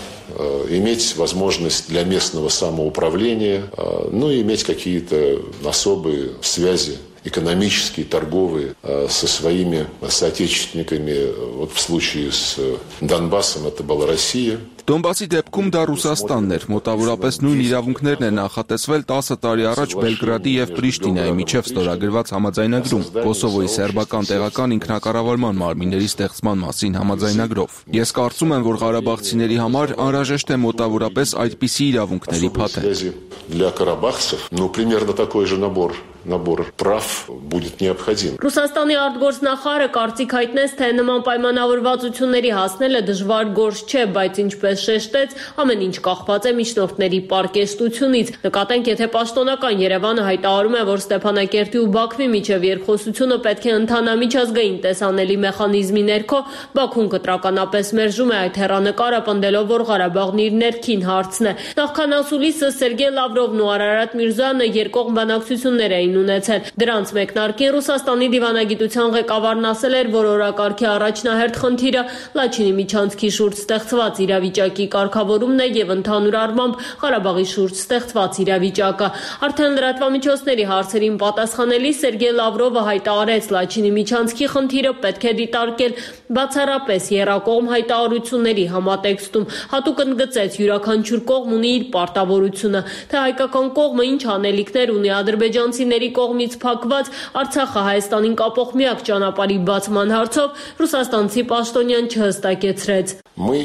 R: иметь возможность для местного самоуправления, ну и иметь какие-то особые связи экономические, торговые со своими соотечественниками. Вот в случае с Донбассом это была Россия.
Q: Դոնբասի դեպքում դա Ռուսաստանն էր, մոտավորապես նույն իրավունքներն են նախատեսվել տասը տարի առաջ Բելգրադի եւ Պրիշտինայի միջև ստորագրված համաձայնագրում, Կոսովոյի սերբական տեղական ինքնակառավարման մարմինների ստեղծման մասին համաձայնագրով։ Ես կարծում եմ, որ ղարաբաղցիների համար անհրաժեշտ է մոտավորապես այդպիսի իրավունքների փաթեթ։
R: Для карабахцев, ну, примерно такой же набор набор прав будет необходим.
P: Ռուսաստանի արտգործնախարարը կարծիք հայտնեց, թե նման պայմանավորվածությունների հասնելը դժվար գործ չէ, բայց ինչպես շեշտեց, ամեն ինչ կախված է միջնորդների պարկեստությունից։ Նկատենք, եթե պաշտոնական Երևանը հայտարարում է, որ Ստեփանակերտի ու Բաքվի միջև երկխոսությունը պետք է ընթանա միջազգային տեսանելի մեխանիզմի ներքո, Բաքուն կտրականապես մերժում է այդ հեռանկարը, պնդելով, որ Ղարաբաղն իր ներքին հարցն է։ Նախքան ասուլիսը Սերգեյ Լավրովն ու Արարատ Միրզոյանը երկկողմ բանակցություններ էին ունեցել։ Դրանց մեկնարկին Ռուսաստանի դիվանագիտության ղեկավարն ասել էր, որ օրակարգի առաջնահերթ խնդիրը Լաչինի միջանցքի շուրջ ստեղծված իրավիճակի կարգավորումն է եւ ընդհանուր առմամբ Ղարաբաղի շուրջ ստեղծված իրավիճակը։ Արդեն լրատվամիջոցների հարցերին պատասխանելիս Սերգեյ Լավրովը հայտարարեց, Լաչինի միջանցքի խնդիրը պետք է դիտարկել բացառապես եռակողմ հայտարարությունների համատեքստում։ Հատուկ ընդգծեց, յուրաքանչյուր կողմ ունի իր պարտավորությունը, թե հայկական կողմը ինչ անելիքներ ունի ադրբեջանցիների կողմից փակված Արցախը Հայաստանին կապող միակ ճանապարհի բացման հարցով ռուսաստանցի պաշտոնյան չհստակեցրեց։
R: Мы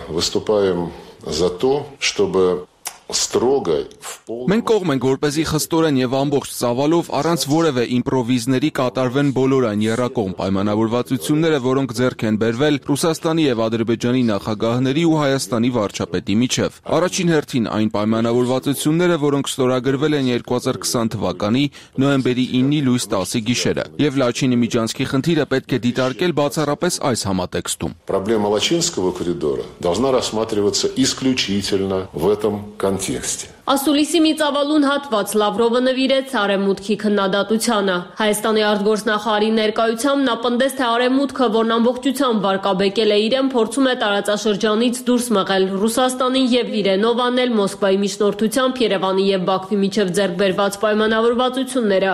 R: выступаем за то, чтобы строго
Q: Մենք կողմ ենք, որպեսզի խստորեն եւ ամբողջ ծավալով առանց որևէ իմպրովիզների կատարվեն բոլոր այն եռակողմ պայմանավորվածությունները, որոնք ձեռք են բերվել Ռուսաստանի եւ Ադրբեջանի նախագահների ու Հայաստանի վարչապետի միջև։ Առաջին հերթին այն պայմանավորվածությունները, որոնք ստորագրվել են երկու հազար քսան թվականի նոյեմբերի ինը լույս տասի գիշերը, եւ Լաչինի միջանցքի խնդիրը պետք է դիտարկել բացառապես այս համատեքստում։
R: Проблема Лачинского коридора должна рассматриваться исключительно в этом контексте.
P: Ասուլիսի մի ծավալուն հատված Լավրովը նվիրեց Արևմուտքի քննադատությանը։ Հայաստանի արտգործնախարարի ներկայությամբ նա պնդեց, թե Արևմուտքը, որն ամբողջությամբ վարկաբեկել է իրեն, փորձում է տարածաշրջանից դուրս մղել Ռուսաստանին եւ իրենով անել Մոսկվայի միջնորդությամբ Երևանի եւ Բաքվի միջև ձեռք բերված պայմանավորվածությունները։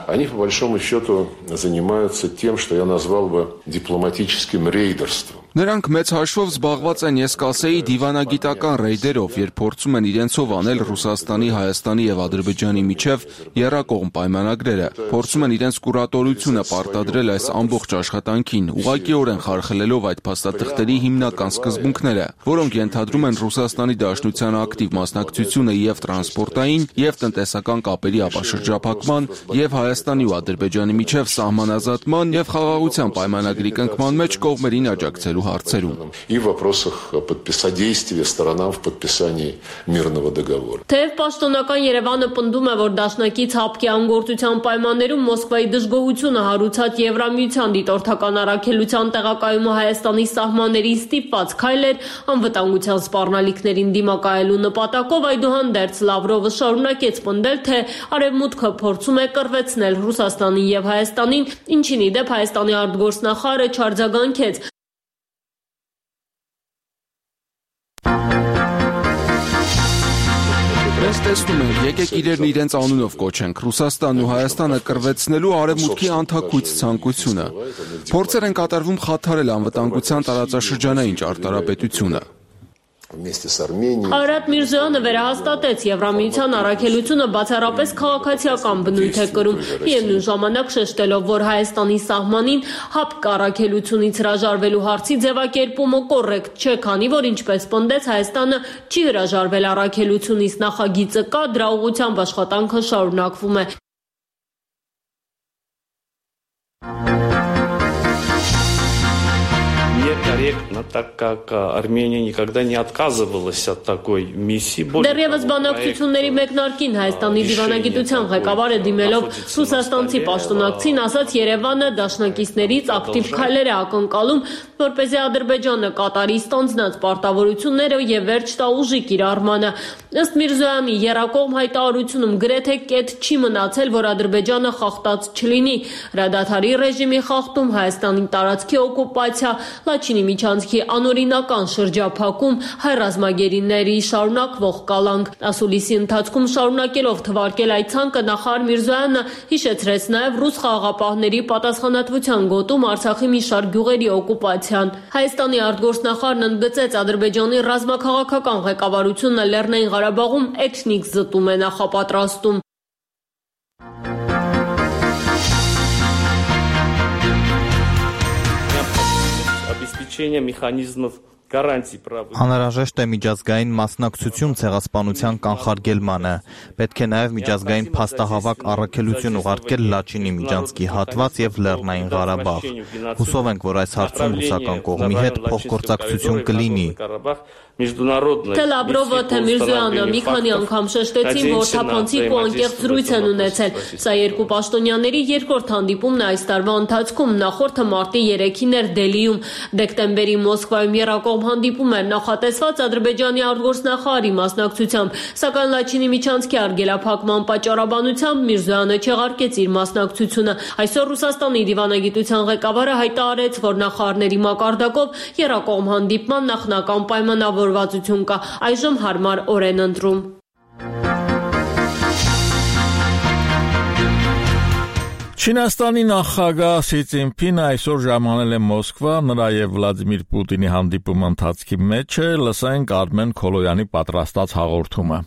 R: Они, по большому счету, занимаются тем, что я назвал бы дипломатическим рейдерством.
Q: Նրանք մեծ հաշվով զբաղված են, ես կասեի, դիվանագիտական ռեյդերով, երբ փորձում են իրենցով անել Ռուսաստանի, Հայաստանի եւ Ադրբեջանի միջև եռակողմ պայմանագրերը, փորձում են իրենց կուրատորությունը պարտադրել այս ամբողջ աշխատանքին, ուղղակիորեն խարխլելով այդ փաստաթղթերի հիմնական սկզբունքները, որոնք ենթադրում են Ռուսաստանի Դաշնության ակտիվ մասնակցությունը եւ տրանսպորտային եւ տնտեսական կապերի ապաշրջափակման եւ Հայաստանի ու Ադրբեջանի միջև սահմանազատման եւ խաղաղության պայմանագրի կնքման մեջ կողմերին աջակցելու հարցերում։
R: И в вопросах содействия сторонам в подписании мирного договора.
P: Թեև պաշտոնական Երևանը պնդում է, որ դաշնակից հապկի անգործության պայմաններում Մոսկվայի դժգոհությունը հարուցած Եվրամիության դիտորդական առաքելության տեղակայումը Հայաստանի սահմաններին ստիպված քայլ էր անվտանգության սպառնալիքներին դիմակայելու նպատակով, այդուհանդերձ Լավրովը շարունակեց պնդել, թե Արևմուտքը փորձում է կռվեցնել Ռուսաստանին եւ Հայաստանին, ինչին ի դեպ Հայաստանի արտգործնախարարը չարձագանքեց։
Q: Մենք տեսնում ենք, եկեք իրերն իրենց անունով կոչենք, Ռուսաստանն ու Հայաստանը կռվեցնելու Արևմուտքի անթաքույց ցանկությունը։ Փորձեր են կատարվում խաթարել անվտանգության տարածաշրջանային ճարտարապետությունը։
R: вместе с Арменией.
P: Արարատ Միրզոյանը վերահաստատեց Եվրամիության առաքելությունը բացառապես քաղաքացիական բնույթ է կրում, միևնույն ժամանակ շեշտելով, որ Հայաստանի սահմանին ՀԱՊԿ առաքելությունից հրաժարվելու հարցի ձևակերպումը կոռեկտ չէ, քանի որ ինչպես պնդեց Հայաստանը չի հրաժարվել առաքելությունից, նախագիծը կա, դրա ուղղությամբ աշխատանքը շարունակվում է։
C: Корректно, так как Армения никогда не отказывалась от такой миссии.
P: Դեռևս բանակցությունների մեկնարկին Հայաստանի դիվանագիտության ղեկավարը դիմելով ռուսաստանցի պաշտոնակցին ասաց Երևանը դաշնակիցներից ակտիվ քայլեր է ակնկալում, որպեսզի Ադրբեջանը կատարի ստանձնած պարտավորությունները եւ վերջ տա ուժի կիրառմանը։ Ըստ Միրզոյանի եռակողմ հայտարարությունում գրեթե կետ չի մնացել, որ Ադրբեջանը խախտած չլինի։ Հրադադարի ռեժիմի խախտում, Հայաստանի տարածքի օկուպացիա, Լաչինի միջանցքի անօրինական շրջափակում, հայ ռազմագերիների շարունակվող կալանք։ Ասուլիսի ընթացքում շարունակելով թվարկել այդ ցանկը նախարար Միրզոյանը հիշեցրեց նաև ռուս խաղաղապահների պատասխանատվության գոտում Արցախի մի շարք գյուղերի օկուպացիան։ Հայաստանի արտգործնախարարն ընդգծեց Ադրբեջանի ռազմաքաղաքական ղեկավարությունը Լեռնային Ղարաբաղում էթնիկ զտում է նախապատրաստում։
C: Обеспечение механизмов гарантий прав.
S: Անհրաժեշտ է միջազգային մասնակցություն ցեղասպանության կանխարգելմանը։ Պետք է նաև միջազգային փաստահավաք առաքելություն ուղարկել Լաչինի միջանցքի հատված եւ Լեռնային Ղարաբաղ։ Հուսով ենք, որ այս հարցում ռուսական կողմի հետ փոխգործակցություն կլինի։
P: Թե Լավրովը, թե Միրզոյանը մի քանի անգամ շեշտեցին, որ թափանցիկ ու անկեղծ զրույց են ունեցել։ Սա երկու պաշտոնյաների երկրորդ հանդիպումն է այս տարվա ընթացքում, նախորդը մարտի երեքին էր Դելիում։ Դեկտեմբերի Մոսկվայում եռակողմ հանդիպում էր նախատեսված Ադրբեջանի արտգործնախարարի մասնակցությամբ, սակայն Լաչինի միջանցքի արգելափակման պատճառաբանությամբ Միրզոյանը չեղարկեց իր մասնակցությունը։ Այսօր Ռուսաստանի դիվանագիտության ղեկավարը հայտարարեց, որ նախարարների մակարդակով եռակողմ հանդիպման նախնական պայմանավորվածություն կա, այժմ հարմար օր են ընտրում։
A: Չինաստանի նախագահ Սի Ցզինփինը այսօր ժամանել է Մոսկվա, նրա եւ Վլադիմիր Պուտինի հանդիպումը ընթացքի մեջ է, լսենք Արմեն Քոլոյանի պատրաստած հաղորդումը։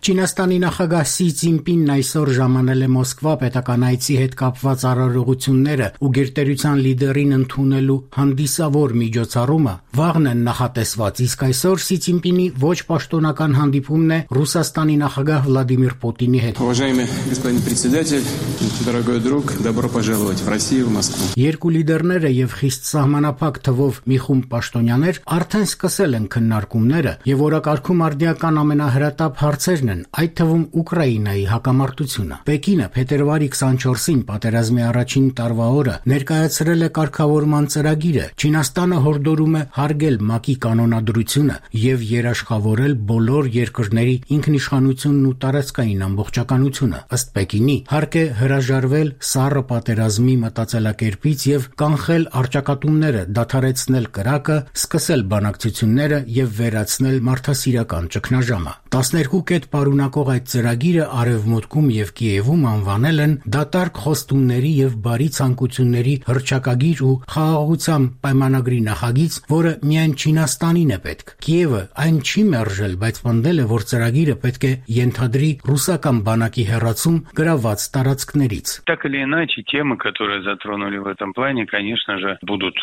T: Չինաստանի նախագահ Սի Ցզինփինն այսօր ժամանել է Մոսկվա պետական այցի հետ կապված արարողությունները ու գերտերության լիդերին ընդունելու հանդիսավոր միջոցառումը վաղն են նախատեսված, իսկ այսօր Սի Ցզինփինի ոչ պաշտոնական հանդիպումն է Ռուսաստանի նախագահ Վլադիմիր Պուտինի հետ։
U: Уважаемый господин председатель, дорогой друг, добро пожаловать в Россию, в Москву։
T: Երկու լիդերները եւ խիստ սահմանափակ թվով մի խումբ պաշտոնյաներ արդեն սկսել են քննարկումները եւ օրակարգում արդիական ամենահրատապ հարցերն այդ թվում Ուկրաինայի հակամարտությունը։ Պեկինը փետրվարի քսանչորսին պատերազմի առաջին տարվա օրը ներկայացրել է կարգավորման ծրագիրը։ Չինաստանը հորդորում է հարգել ՄԱԿ-ի կանոնադրությունը եւ երաշխավորել բոլոր երկրների ինքնիշխանությունն ու տարածքային ամբողջականությունը։ Ըստ Պեկինի, հարկ է հրաժարվել սառը պատերազմի մտածելակերպից եւ կանխել առճակատումները, դադարեցնել կրակը, սկսել բանակցությունները եւ վերացնել մարդասիրական ճգնաժամը։ տասներկու կետ պարունակող այդ ծրագիրը Արևմուտքում եւ Կիևում անվանել են դատարկ խոստումների եւ բարի ցանկությունների հռչակագիր ու խաղաղության պայմանագրի նախագիծ, որը միայն Չինաստանին է պետք։ Կիևը այն չի մերժել, բայց պնդել է, որ ծրագիրը պետք է ենթադրի ռուսական բանակի հեռացում գրաված տարածքներից։
V: Так или иначе, темы, которые затронули в этом плане, конечно же, будут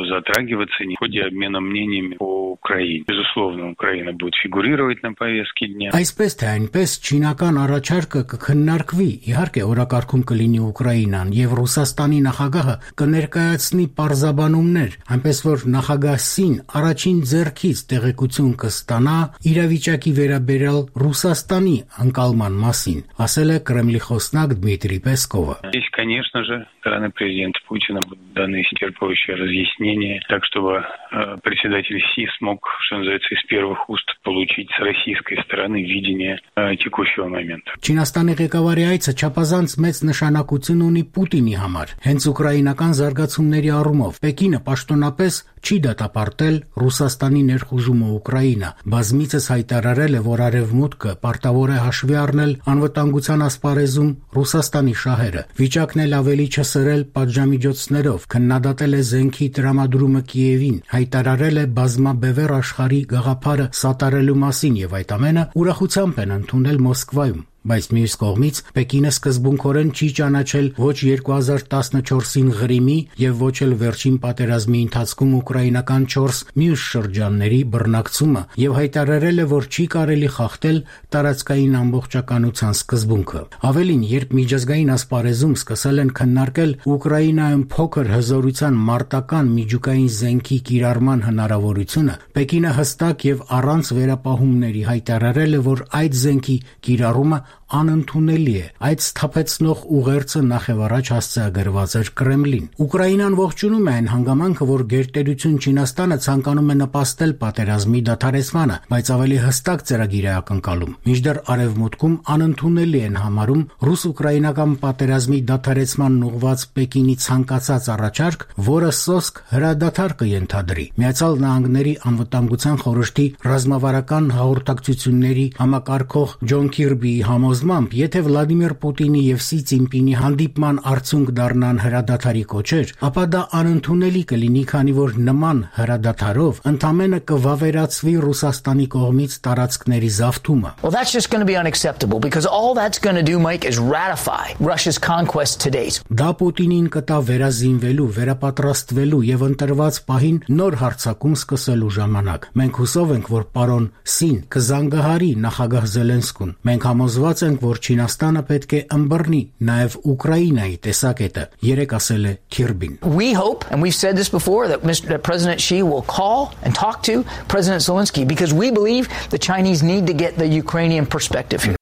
V: затрагиваться в ходе обмена мнениями по Украине. Безусловно, Украина будет фигурировать на повестке дня.
T: Այսպես թե այնպես չինական առաջարկը կքննարկվի, իհարկե օրակարգում կլինի Ուկրաինան եւ Ռուսաստանի նախագահը կներկայացնի պարզաբանումներ, այնպես որ նախագահ Սին առաջին ձեռքից տեղեկություն կստանա իրավիճակի վերաբերյալ Ռուսաստանի անկալման մասին, ասել է Կրեմլի խոսնակ Դմիտրի Պեսկովը։
V: Здесь, конечно же, стороны президента Путина будут даны исчерпывающие разъяснения, так чтобы э, председатель Си смог, что называется, из первых уст получить с российской стороны видение текущего момента.
T: Չինաստանի ղեկավարի այցը չափազանց մեծ նշանակություն ունի Պուտինի համար։ Հենց ուկրաինական զարգացումների առումով Պեկինը պաշտոնապես չի դատապարտել Ռուսաստանի ներխուժումը Ուկրաինա։ Բազմիցս հայտարարել է, որ Արևմուտքը պարտավոր է հաշվի առնել անվտանգության ասպարեզում Ռուսաստանի շահերը։ Վիճակն էլ ավելի չսրել պատժամիջոցներով, քննադատել է զենքի տրամադրումը Կիևին, հայտարարել է բազմաբևեռ աշխարհի գաղափարը սատարելու մասին եւ այդ ամենը ուրախությամբ են ընդունել Մոսկվայում։ Բայց մյուս կողմից Պեկինը սկզբունքորեն չի ճանաչել ոչ երկու հազար տասնչորսին Ղրիմի եւ ոչ էլ վերջին պատերազմի ընթացքում ուկրաինական չորս մյուս շրջանների բռնակցումը եւ հայտարարել է, որ չի կարելի խախտել տարածքային ամբողջականության սկզբունքը։ Ավելին, երբ միջազգային ասպարեզում սկսել են քննարկել Ուկրաինայում փոքր հզորության մարտական միջուկային զենքի կիրառման հնարավորությունը, Պեկինը հստակ եւ առանց վերապահումների հայտարարել է, որ այդ զենքի կիրառումը անընդունելի է։ Այդ սթափեցնող ուղերձը նախևառաջ հասցեագրված էր Կրեմլին։ Ուկրաինան ողջունում է այն հանգամանքը, որ գերտերություն Չինաստանը ցանկանում է նպաստել պատերազմի դադարեցմանը, բայց ավելի հստակ ծրագիր է ակնկալում։ Մինչդեռ Արևմուտքում անընդունելի են համարում ռուս-ուկրաինական պատերազմի դադարեցմանն ուղղված Պեկինի ցանկացած առաջարկ, որը սոսկ հրադադար կենթադրի։ Միացյալ Նահանգների անվտանգության խորհրդի ռազմավարական հաղորդակցությունների համակարգող Ջոն Քիրբիի համոզմամբ, եթե Վլադիմիր Պուտինի եւ Սի Ցինպինի հանդիպման արդյունք դառնան հրադադարի կոչեր, ապա դա անընդունելի կլինի, քանի որ նման հրադադարով ընդամենը կվավերացվի Ռուսաստանի կողմից տարածքների զավթումը։
D: Well, that's just going to be unacceptable because all that's going to do, Mike, is ratify Russia's conquest to date.
T: Դա Պուտինին կտա վերազինվելու, վերապատրաստվելու եւ ընտրված պահին նոր հարձակում սկսելու ժամանակ։ Մենք հուսով ենք, որ պարոն Սին կզանգահարի նախագահ Զելենսկուն։ Մենք համոզված ենք, որ Չինաստանը պետք է ըմբռնի նաև Ուկրաինայի տեսակետը, երեք ասել է Քիրբին։
D: We hope, and we've said this before, that Mister President Xi will call and talk to President Zelensky because we believe the Chinese need to get the Ukrainian perspective here.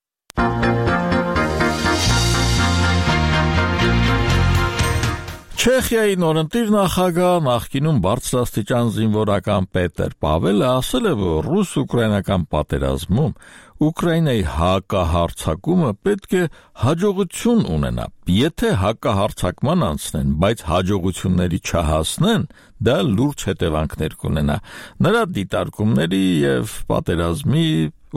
A: Չեխիայի նորընտիր նախագահ նախկինում բարձրաստիճան զինվորական Պետեր Պավելը ասել է, որ ռուս-ուկրաինական պատերազմում Ուկրաինայի հակահարձակումը պետք է հաջողություն ունենա։ Եթե հակահարձակման անցնեն, բայց հաջողությունների չհասնեն, դա լուրջ հետևանքներ կունենա։ Նրա դիտարկումների եւ պատերազմի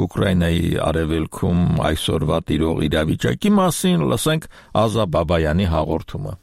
A: Ուկրաինայի արևելքում այսօրվա տիրող իրավիճակի մասին լսենք Ազա Բաբայանի հաղորդումը։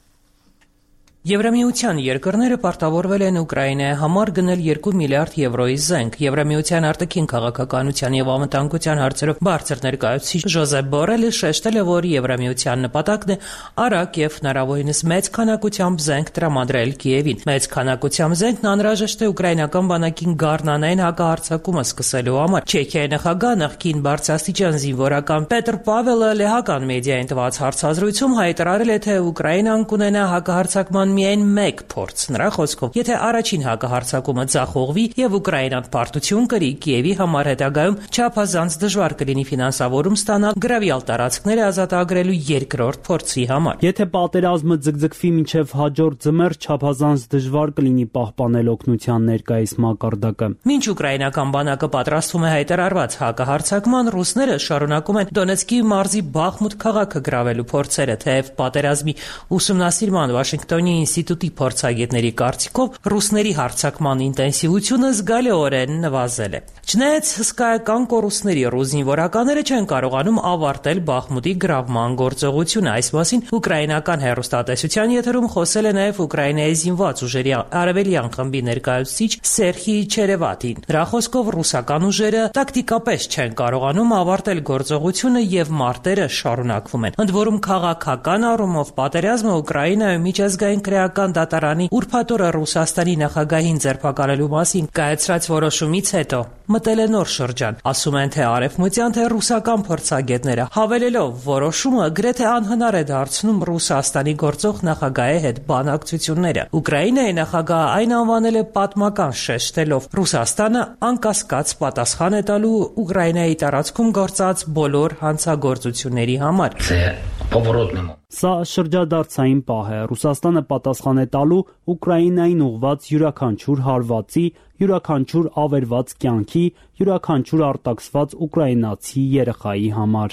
E: Եվրամիության երկրները պարտավորվել են Ուկրաինայի համար գնել երկու միլիարդ եվրոյի զենք։ Եվրամիության արտաքին քաղաքականության եւ անվտանգության հարցերով բարձր ներկայացուցիչ Ժոզեփ Բորելը շեշտել է, որ Եվրամիության նպատակն է արագ եւ հնարավորինս մեծ քանակությամբ զենք տրամադրել Կիևին։ Մեծ քանակությամբ զենքն անհրաժեշտ է ուկրաինական բանակին գառնանային հակահարձակումը սկսելու համար։ Չեխիայի նախագահ նախկին բարձրաստիճան զինվորական Պետր Պավելը լեհական մեդիային տված հարցազրույցում հայտարարել է, թե Ուկրաինան կունենա հակահարձակման միայն մեկ փորձ։ Նրա խոսքով, եթե առաջին հակահարձակումը ձախողվի եւ Ուկրաինան պարտություն կրի, Կիևի համար հետագայում չափազանց դժվար կլինի ֆինանսավորում ստանալ գրավյալ տարածքները ազատագրելու երկրորդ փորձի համար։
F: Եթե պատերազմը ձգձգվի մինչև հաջորդ ձմեռ, չափազանց դժվար կլինի պահպանել օգնության ներկայիս մակարդակը։
E: Մինչ ուկրաինական բանակը պատրաստվում է հայտարարված հակահարձակման, ռուսները շարունակում են Դոնեցկի մարզի Բախմուտ քաղաքը գրավելու փորձերը, թեև պատերազմի ուսումնասիրման Վաշինգտոնի ինստիտուտի փորձագետների կարծիքով ռուսների հարձակման ինտենսիվությունը զգալիորեն նվազել է։ Չնայած հսկայական կորուստների ռուս զինվորականները չեն կարողանում ավարտել Բախմուտի գրավման գործողությունը։ Այս մասին ուկրաինական հեռուստատեսության եթերում խոսել է նաև Ուկրաինայի զինված ուժերի արևելյան խմբի ներկայացուցիչ Սերխի Չերևատին։ Նրա խոսքով ռուսական ուժերը տակտիկապես չեն կարողանում ավարտել գործողությունը եւ մարտերը շարունակվում են։ Ընդ որում քաղաքական առումով պատերազմը Ուկրաինայում միջազգային քրեական դատարանի ուրբաթօրը Ռուսաստանի նախագահին ձերբակալելու մասին կայացրած որոշումից հետո մտել է նոր շրջան։ Ասում են թե արևմտյան, թե ռուսական փորձագետները, հավելելով որոշումը գրեթե անհնար է դարձնում Ռուսաստանի գործող նախագահի հետ բանակցությունները։ Ուկրաինայի նախագահը այն անվանել է պատմական, շեշտելով Ռուսաստանը անկասկած պատասխան է տալու Ուկրաինայի տարածքում գործած բոլոր հանցագործությունների համար։
F: Սա շրջադարձային պահ է։ Ռուսաստանը պատասխան է տալու Ուկրաինային ուղղված յուրաքանչյուր հարվածի յուրաքանչյուր ավերված կյանքի, յուրաքանչյուր արտաքսված ուկրաինացի երեխայի համար։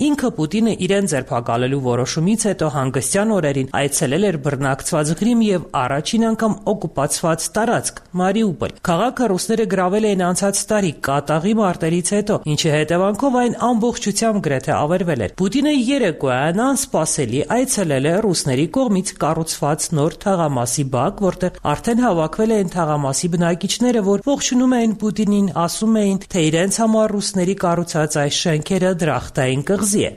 E: Ինքը Պուտինը իրեն ձերբակալելու որոշումից հետո հանգստյան օրերին այցելել էր բռնակցված Ղրիմ եւ առաջին անգամ օկուպացված տարածք Մարիուպոլ։ Քաղաքը ռուսները գրավել էին անցած տարի կատաղի մարտերից հետո, ինչի հետևանքով այն ամբողջությամբ գրեթե ավերվել էր։ Պուտինը երեկոյան անսպասելի այցելել է ռուսների կողմից կառուցված նոր թաղամասի բակ, որտեղ արդեն հավաքվել էին թաղամասի բնակիչները, որ ողջունում էին Պուտինին, ասում էին, թե իրենց համար ռուսների կառուցած այս շենքերը դրախտային կղզի է։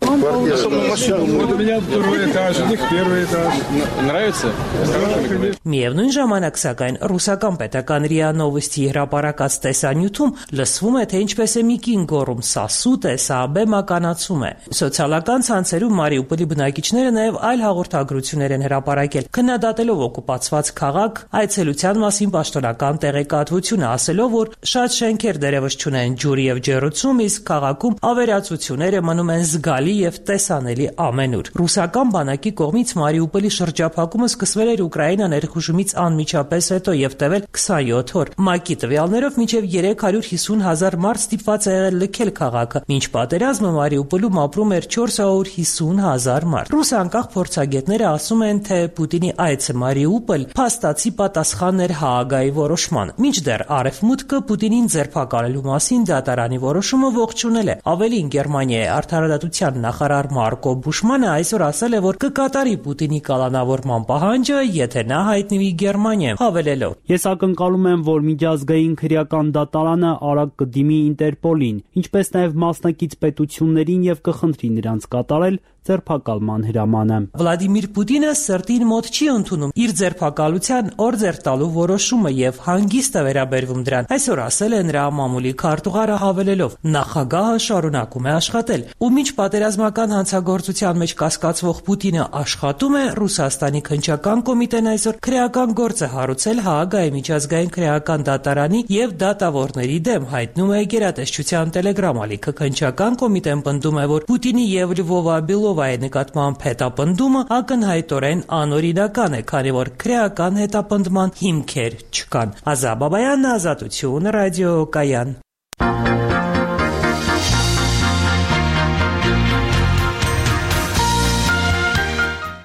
E: Միևնույն ժամանակ, սակայն, ռուսական պետական րիա Նովոստի հրապարակած տեսանյութում լսվում է, թե ինչպես է մի կին գոռում՝ «Սա սուտ է, սա բեմականացում է»։ Սոցիալական ցանցերում Մարիուպոլի բնակիչները նաև այլ հաղորդագրություններ են հրապարակել, քննադատելով օկուպացված քաղաք, այցելության մասին պաշտոնական տեղեկատվությունը, ասելով, որ շատ շենքեր դերևս չունեն ջուր եւ ջեռուցում, իսկ քաղաքում ավերածությունները մնում են զգալի եւ տեսանելի ամենուր։ Ռուսական բանակի կողմից Մարիուպոլի շրջափակումը սկսվել էր Ուկրաինա ներխուժումից անմիջապես հետո եւ տևել քսանյոթ օր։ ՄԱԿ-ի տվյալներով մինչեւ երեք հարյուր հիսուն հազար մարդ ստիպված է եղել լքել քաղաքը։ Մինչ պատերազմը Մարիուպոլում ապրում էր չորս հարյուր հիսուն հազար մարդ։ Ռուս անկախ փորձագետները ասում են, թե Պուտինի այցը Մարիուպոլ փաստացի պատասխան էր Հաագայի որոշմանը։ Մինչդեռ Արևմուտքը Պուտինին ձերբակալելու մասին դատարանի որոշումը ողջունել է։ Ավելին, Գերմանիայի արդարադատության նախարար Մարկո Բուշմանը այսօր ասել է, որ կկատարի Պուտինի կալանավորման պահանջը, եթե նա հայտնվի Գերմանիայում, հավելելով.
F: Ես ակնկալում եմ, որ միջազգային քրեական դատարանը արագ կդիմի Ինտերպոլին, ինչպես նաև մասնակից պետություններին եւ կխնդրի նրանց կատարել ձերբակալման հրամանը։
E: Վլադիմիր Պուտինը սրտին մոտ չի ընդունում իր ձերբակալության օրձեր տալու որոշումը եւ հանգիստ է վերաբերվում դրան։ Այսօր ասել է նրա մամուլի քարտուղարը, հավելելով. նախագահը շարունակում է աշխատել, ու մինչ պատերազմական հանցագործության մեջ կասկածվող Պուտինը աշխատում է, Ռուսաստանի քննչական կոմիտեն այսօր քրեական գործ է հարուցել Հաագայի միջազգային քրեական դատարանի եւ դատավորների դեմ, հայտնում է Գերատեսչության Տելեգրամ ալիքը։ Քննչական կոմիտեն պնդում է, որ Պուտինի եւ Լվովա Բիլովայի նկատմամբ հետապնդումը ակնհայտորեն անօրինական է, քանի որ քրեական հետապնդման հիմքեր չկան։ Ազա Բաբայան, Ազատություն, ռադիոկայան։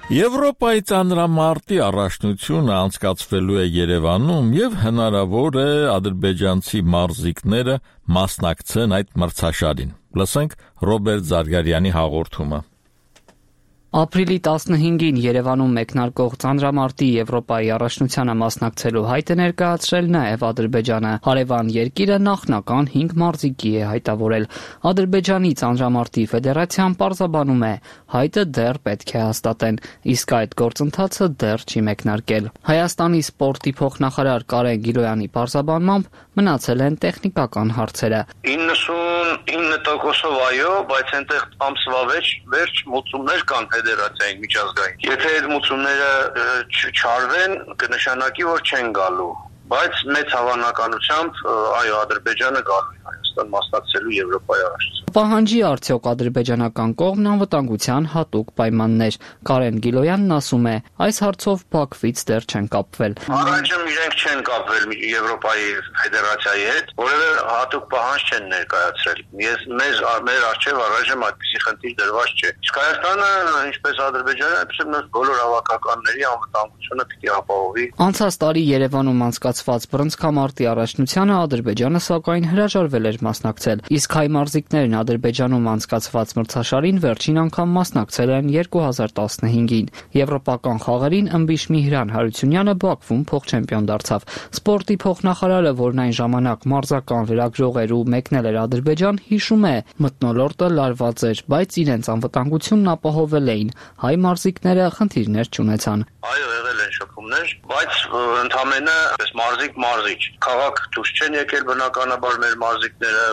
A: Եվրոպայի ծանրամարտի առաջնությունը անցկացվելու է Երևանում եւ հնարավոր է ադրբեջանցի մարզիկները մասնակցեն այդ մրցաշարին։ Լսենք Ռոբերտ Զարգարյանի հաղորդումը։
B: Ապրիլի տասնհինգին Երևանում մեկնարկող ծանրամարտի Եվրոպայի առաջնությանը մասնակցելու հայտ է ներկայացրել նաև Ադրբեջանը։ Հարևան երկիրը նախնական հինգ մարզիկի է հայտավորել։ Ադրբեջանի ծանրամարտի ֆեդերացիան պարզաբանում է, հայտը դեռ պետք է հաստատեն, իսկ այդ գործընթացը դեռ չի մեկնարկել։ Հայաստանի սպորտի փոխնախարար Կարեն Գիլոյանի պարզաբանմամբ մնացել են տեխնիկական հարցերը։
L: իննսունինը տոկոսով այո, բայց այնտեղ ամսվա վերջ մոծումներ կան ֆեդերացիային միջազգային։ Եթե այդ մոծումները չարվեն, կնշանակի, որ չեն գալու, բայց մեծ հավանականությամբ այո, Ադրբեջանը գալու է Հայաստան մասնակցելու Եվրոպայի առաջնությանը։
B: Պահանջի արդյոք ադրբեջանական կողմն անվտանգության հատուկ պայմաններ։ Կարեն Գիլոյանն ասում է, այս հարցով Բաքվից դեռ չեն կապվել։
L: Առայժմ իրենք չեն կապվել Եվրոպայի ֆեդերացիայի հետ, որևէ հատուկ պահանջ չեն ներկայացրել։ Ես մեզ մեր առջև առայժմ այդպիսի խնդիր դրված չէ։ Իսկ Հայաստանը, ինչպես Ադրբեջանը, այդպես էլ բոլոր հավաքականների անվտանգությունը պիտի ապահովի։
B: Անցած տարի Երևանում անցկացված բռնցքամարտի առաջնությանը Ադրբեջանը սակայն հրաժարվել էր մասնակցել, իսկ հայ մարզիկներն Ադրբեջանում անցկացված մրցաշարին վերջին անգամ մասնակցել են երկու հազար տասնհինգին։ Եվրոպական խաղերին ըմբիշ Միհրան Հարությունյանը Բաքվում փոխչեմպիոն դարձավ։ Սպորտի փոխնախարարը, որն այն ժամանակ մարզական լրագրող էր ու մեկնել էր Ադրբեջան, հիշում է, մթնոլորտը լարված էր, բայց իրենց անվտանգությունն ապահովել էին։ Հայ մարզիկները խնդիրներ չունեցան։
L: Այո, եղել են շփումներ, բայց ընդամենը մարզիկ մարզիչ։ Քաղաք դուրս չեն եկել բնականաբար մեր մարզիկները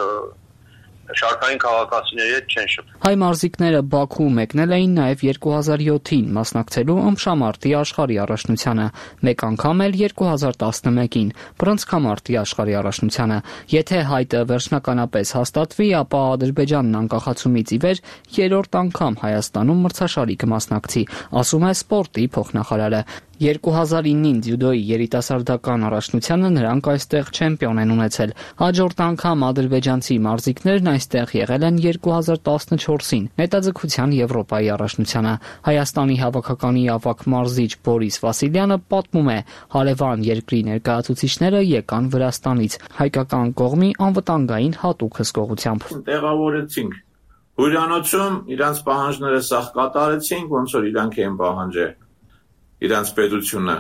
L: շարքային քաղաքացիների հետ չեն շփվում։
B: Հայ մարզիկները Բաքու մեկնել էին նաև երկու հազար յոթին մասնակցելու ըմբշամարտի աշխարհի առաջնությանը, մեկ անգամ էլ երկու հազար տասնմեկին բռնցքամարտի աշխարհի առաջնությանը։ Եթե հայտը վերջնականապես հաստատվի, ապա Ադրբեջանն անկախացումից ի վեր երրորդ անգամ Հայաստանում մրցաշարի կմասնակցի, ասում է սպորտի փոխնախարարը։ երկու հազար ինին ձյուդոյի երիտասարդական առաջնությանը նրանք այստեղ չեմպիոն են ունեցել։ Հաջորդ անգամ ադրբեջանցի մարզիկներն այստեղ եղել են երկու հազար տասնչորսին Նետաձգության Եվրոպայի առաջնությանը։ Հայաստանի հավաքականի ավագ մարզիչ Բորիս Վասիլյանը պատմում է, հարևան երկրի ներկայացուցիչները եկան Վրաստանից հայկական կողմի անվտանգային հատուկ հսկողությամբ։
G: Տեղավորեցինք հյուրանոցում, իրանց պահանջները սաղ կատարեցինք, ոնց որ իրանք էին պահանջել իրանց պետությունը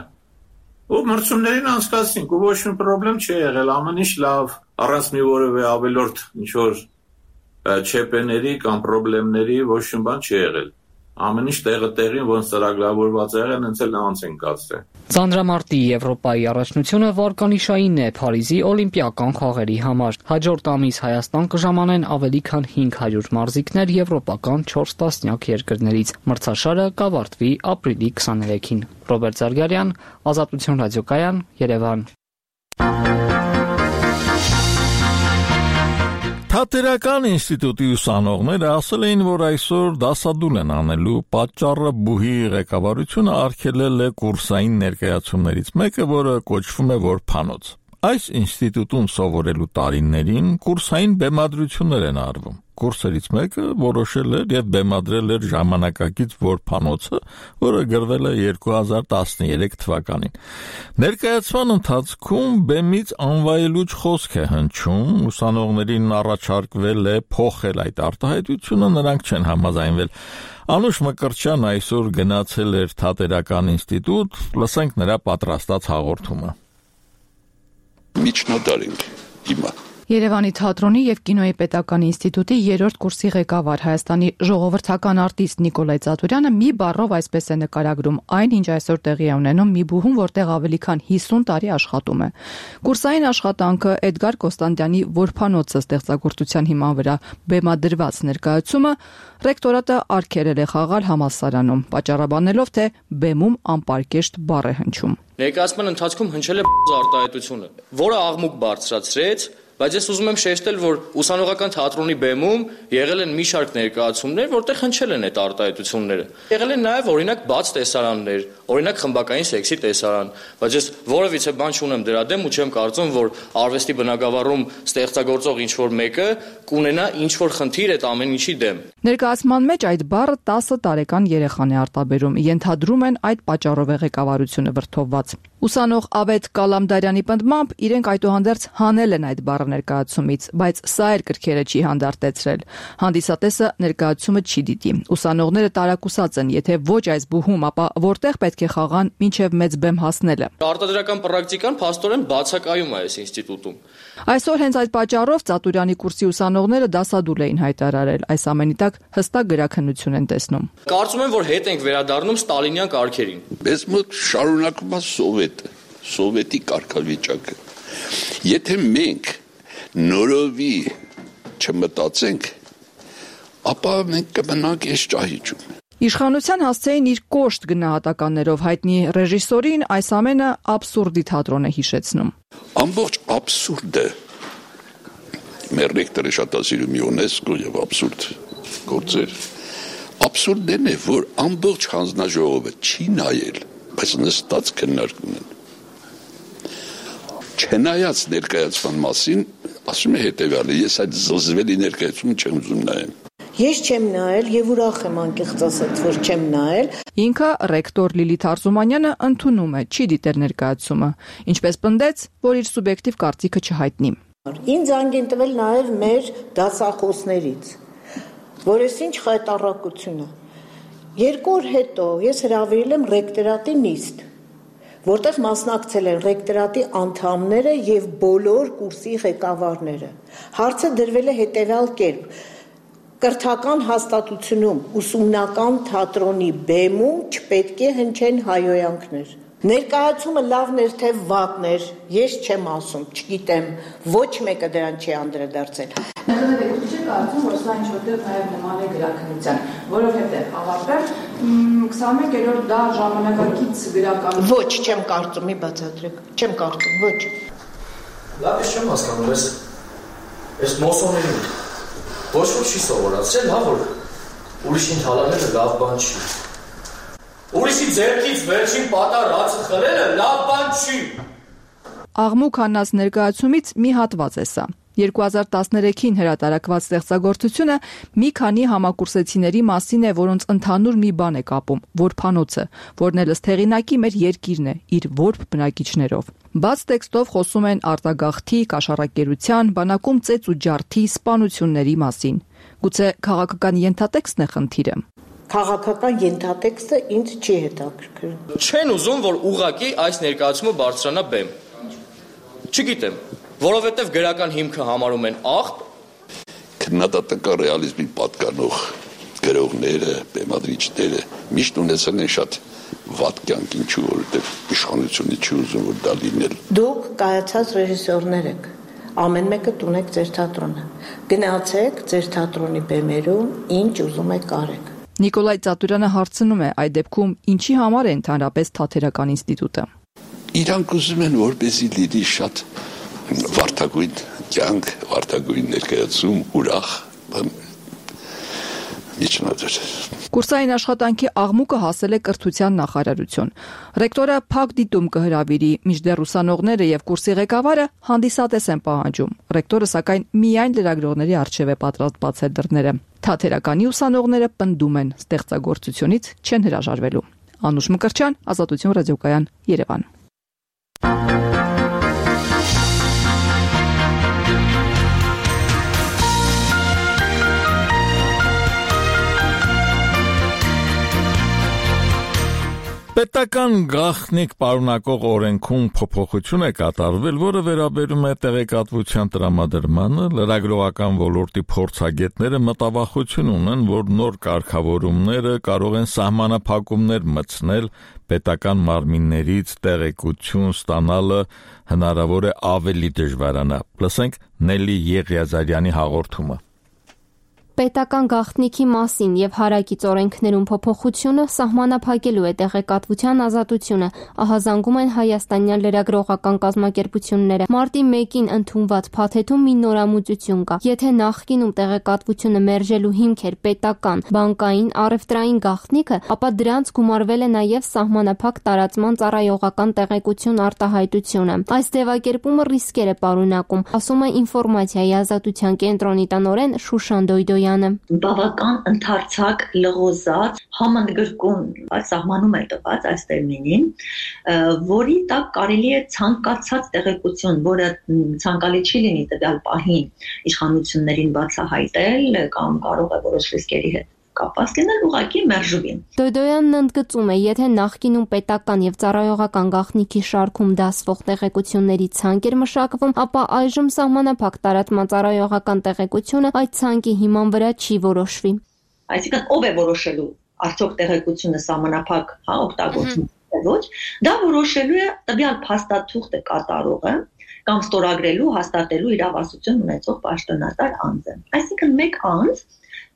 G: ու մրցումներին անցկացնենք ու ոչ մի պրոբլեմ չի եղել, ամեն ինչ լավ, առանց մի որևէ ավելորդ ինչ որ չեպեների կամ պրոբլեմների ոչ մի բան չի եղել, ամեն ինչ տեղը տեղին ոնց ծրագրավորված եղել, հենց էլ անց են կացրել։
B: Ծանրամարտի Եվրոպայի առաջնությունը վարկանիշային է Փարիզի օլիմպիական խաղերի համար։ Հաջորդ ամիս Հայաստան կժամանեն ավելի քան հինգ հարյուր մարզիկներ եվրոպական չորս տասնյակ երկրներից։ Մրցաշարը կավարտվի ապրիլի քսաներեքին։ Ռոբերտ Զարգարյան, Ազատություն ռադիոկայան, Երևան։
A: Թատերական ինստիտուտի ուսանողները ասել էին, որ այսօր դասադուլ են անելու, պատճառը բուհի ղեկավարությունը արգելել է կուրսային ներկայացումներից մեկը, որը կոչվում է որփանոց։ Այս ինստիտուտում սովորելու տարիներին կուրսային բեմադրություններ են արվում։ Կուրսերից մեկը որոշել էր եւ բեմադրել էր ժամանակակից որփանոցը, որը գրվել է երկու հազար տասներեք թվականին։ Ներկայացման ընթացքում բեմից անվայելուչ խոսք է հնչում, ուսանողներին առաջարկվել է փոխել այդ արտահայտությունը, նրանք չեն համաձայնվել։ Անուշ Մկրտչյան այսօր գնացել էր Թատերական ինստիտուտ, լսենք նրա պատրաստած հաղորդումը։
I: Միջնադար ենք հիմա։
J: Երևանի թատրոնի եւ կինոյի պետական ինստիտուտի երրորդ կուրսի ղեկավար Հայաստանի ժողովրդական արտիստ Նիկոլայ Ծատուրյանը մի բառով այսպես է նկարագրում այն, ինչ այսօր տեղի է ունենում մի բուհում, որտեղ ավելի քան հիսուն տարի աշխատում է։ Կուրսային աշխատանքը Էդգար Կոստանդյանի որփանոցը ստեղծագործության հիման վրա բեմադրված ներկայացումը ռեկտորատը արգելել է խաղալ համալսարանում, պատճառաբանելով, թե բեմում անպարկեշտ բառ է հնչում։
W: Ներկայացման ընթացքում հնչել է արտահայտությունը, որը աղմուկ բարձրացրեց, բայց ես ուզում եմ շեշտել, որ ուսանողական թատրոնի բեմում եղել են մի շարք ներկայացումներ, որտեղ հնչել են այդ արտահայտությունները։ Եղել են նաև օրինակ բաց տեսարաններ, օրինակ խմբակային սեքսի տեսարան, բայց ես որևիցե բան չունեմ դրա դեմ ու չեմ կարծում, որ արվեստի բնագավառում ստեղծագործող ինչ-որ մեկը կունենա ինչ-որ խնդիր այդ ամեն ինչի դեմ։
J: Ներկայացման մեջ այդ բառը տասը տարեկան երեխան է արտաբերում, ենթադրում են այդ պատճառով է ղեկավարությունը վրդովված։ Ուսանող Ավետ Կալամդարյանի պնդմամբ իրենք այդուհանդերձ հանել են այդ բառը ներկայացումից, բայց սա էլ կրքերը չի հանդարտեցրել։ Հանդիսատեսը ներկայացումը չի դիտի։ Ուսանողները տարակուսած են, եթե ոչ այս բուհում, ապա որտեղ պետք է խաղան մինչև մեծ բեմ հասնելը։
W: Արտադրական պրակտիկան փաստորեն բացակայում է այս ինստիտուտում։
J: Այսօր հենց այդ պատճառով Ծատուրյանի կուրսի ուսանողները դասադուլ էին հայտարարել, այս ամենի տակ հստակ գրաքննություն են տեսնում։
W: Կարծում եմ, որ հետ ենք վերադառնում ստալինյան կարգերին։
I: Մեզ մոտ շարունակում է սովետը, սովետի կարգավիճակը։ Եթե մենք նորովի չմտածենք, ապա մենք կմնանք այս ճահիճում։
J: Իշխանության հասցեին իր կոշտ գնահատականներով հայտնի ռեժիսորին այս ամենը աբսուրդի թատրոն է հիշեցնում։
I: Ամբողջ աբսուրդը մեր ռեկտորը շատ ասիրում ՅՈՒՆԵՍԿՕ եւ աբսուրդ գործեր։ Աբսուրդն է, որ ամբողջ հանձնաժողովը չի նայել, բայց նստած քննարկում են։ Չնայած ներկայացման մասին, ասում է հետևյալը, ես այդ զզվելի ներկայացումը չեմ ուզում նայել։
X: Ես չեմ նայել եւ ուրախ եմ անկեղծ ասած, որ չեմ նայել։
J: Ինքը ռեկտոր Լիլիթ Արզումանյանը ընդունում է, չի դիտել ներկայացումը, ինչպես պնդեց, որ իր սուբյեկտիվ կարծիքը չհայտնի։
X: Ինձ անգ են տվել նաեւ մեր դասախոսներից, որ ես ինչ խայտառակություն է։ Երկու օր հետո ես հրավիրել եմ ռեկտորատի նիստ, որտեղ մասնակցել են ռեկտորատի անդամները եւ բոլոր կուրսի ղեկավարները։ Հարցը դրվել է հետեւյալ կերպ. կրթական հաստատությունում ուսումնական թատրոնի բեմում չպետք է հնչեն հայոյանքներ։ Ներկայացումը լավն էր թե վատն էր, ես չեմ ասում, չգիտեմ, ոչ մեկը դրան չի անդրադարձել։
J: Ներկայացումը չի կարծում, որ սա ինչ-որտեղ նաև նման է գրաքննության, որովհետև ավարտել քսաներորդ դա ժամանակակից գրական։
X: Ոչ, չեմ կարծում, մի բացատրեք, չեմ կարծում, ոչ։
W: Լավ, ես չեմ հասկանում, ես ես մոսոների ոչ ոք չի սովորացրել, հա, որ ուրիշին թալանելը լավ բան չի։ Ուրիշի ձեռքից վերջին պատարածը խլելը լավ բան չի։
H: Աղմուկ հանած ներկայացումից մի հատված է սա։ երկու հազար տասներեքին հրատարակված ստեղծագործությունը մի քանի համակուրսեցիների մասին է, որոնց ընդհանուր մի բան է կապում՝ որբանոցը, որն էլ ըստ հեղինակի մեր երկիրն է, իր որբ բնակիչներով։ Բաց տեքստով խոսում են արտագաղթի, կաշառակերության, բանակում ծեծ ու ջարդի, սպանությունների մասին։ Գուցե քաղաքական ենթատեքստն է խնդիրը։
X: Քաղաքական ենթատեքստը ինձ չի հետաքրքրում։
W: Չեն ուզում, որ ուղղակի այս ներկայացումը բարձրանա բեմ։ Չգիտեմ, որովհետև գրական հիմքը համարում են աղբ։
I: Քննադատական ռեալիզմի պատկանող գրողները, բեմադրիչները միշտ ունեցել են շատ վատ կյանք, ինչու որովհետև իշխանությունը չի ուզում որ դա լինել։
X: Դուք կայացած ռեժիսորներ եք, ամեն մեկը տունեք ձեր թատրոնը։ Գնացեք ձեր թատրոնի բեմերում, ինչ ուզում եք արեք։
H: Նիկոլայ Ծատուրյանը հարցնում է, այդ դեպքում ինչի համար է ընդհանրապես թատերական ինստիտուտը։
I: Իրանք ուզում են որպեսզի լինի շատ վարդագույն կյանք, վարդագույն ներկայացում, ուրախ, միջնադար։
H: Կուրսային աշխատանքի աղմուկը հասել է կրթության նախարարություն։ Ռեկտորը փակ դիտում կհրավիրի, մինչդեռ ուսանողները եւ կուրսի ղեկավարը հանդիսատես են պահանջում։ Ռեկտորը սակայն միայն լրագրողների առջև է պատրաստ բացել դռները։ Թատերականի ուսանողները պնդում են, ստեղծագործությունից չեն հրաժարվելու։ Անուշ Մկրտչյան, Ազատություն ռադիոկայան, Երևան։
A: Պետական գաղտնիք պարունակող օրենքում փոփոխություն է կատարվել, որը վերաբերում է տեղեկատվության տրամադրմանը, լրագրողական ոլորտի փորձագետները մտավախություն ունեն, որ նոր կարգավորումները կարող են սահմանափակումներ մտցնել պետական մարմիններից տեղեկություն ստանալը հնարավոր է ավելի դժվարանա։ Լսենք Նելի Եղիազարյանի հաղորդումը։
M: Պետական գաղտնիքի մասին եւ հարակից օրենքներում փոփոխությունը սահմանափակելու է տեղեկատվության ազատությունը, ահազանգում են հայաստանյան լրագրողական կազմակերպությունները։ Մարտի մեկին ընդունված փաթեթում մի նորամուծություն կա։ Եթե նախկինում տեղեկատվությունը մերժելու հիմք էր պետական, բանկային, առևտրային գաղտնիքը, ապա դրանց գումարվել է նաեւ սահմանափակ տարածման ծառայողական տեղեկություն արտահայտությունը։ Այս ձևակերպումը ռիսկեր է պարունակում, ասում է ինֆորմացիայի ազատության կենտրոնի տնօրեն Շուշան Դոյդոյանը։
N: Բավական ընդարձակ լղոզած համընդգրկուն սահմանում է տված այս տերմինին, որի տակ կարելի է ցանկացած տեղեկություն, որը ցանկալի չի լինի տվյալ պահին իշխանություններին բացահայտել կամ կարող է որոշ ռիսկերի հետ կապված լինել, ուղղակի մերժվի։
M: Դոյդոյանն ընդգծում է, եթե նախկինում պետական եւ ծառայողական գաղտնիքի շարքում դասվող տեղեկությունների ցանկ էր մշակվում, ապա այժմ սահմանափակ տարածման ծառայողական տեղեկությունը այդ ցանկի հիման վրա չի որոշվի։
N: Այսինքն ով է որոշելու արդյոք տեղեկությունը սահմանափակ հա օգտագործվում է ոչ, դա որոշելու է տվյալ փաստաթուղթը կատարողը կամ ստորագրելու, հաստատելու իրավասություն ունեցող պաշտոնատար անձը։ Այսինքն մեկ անձ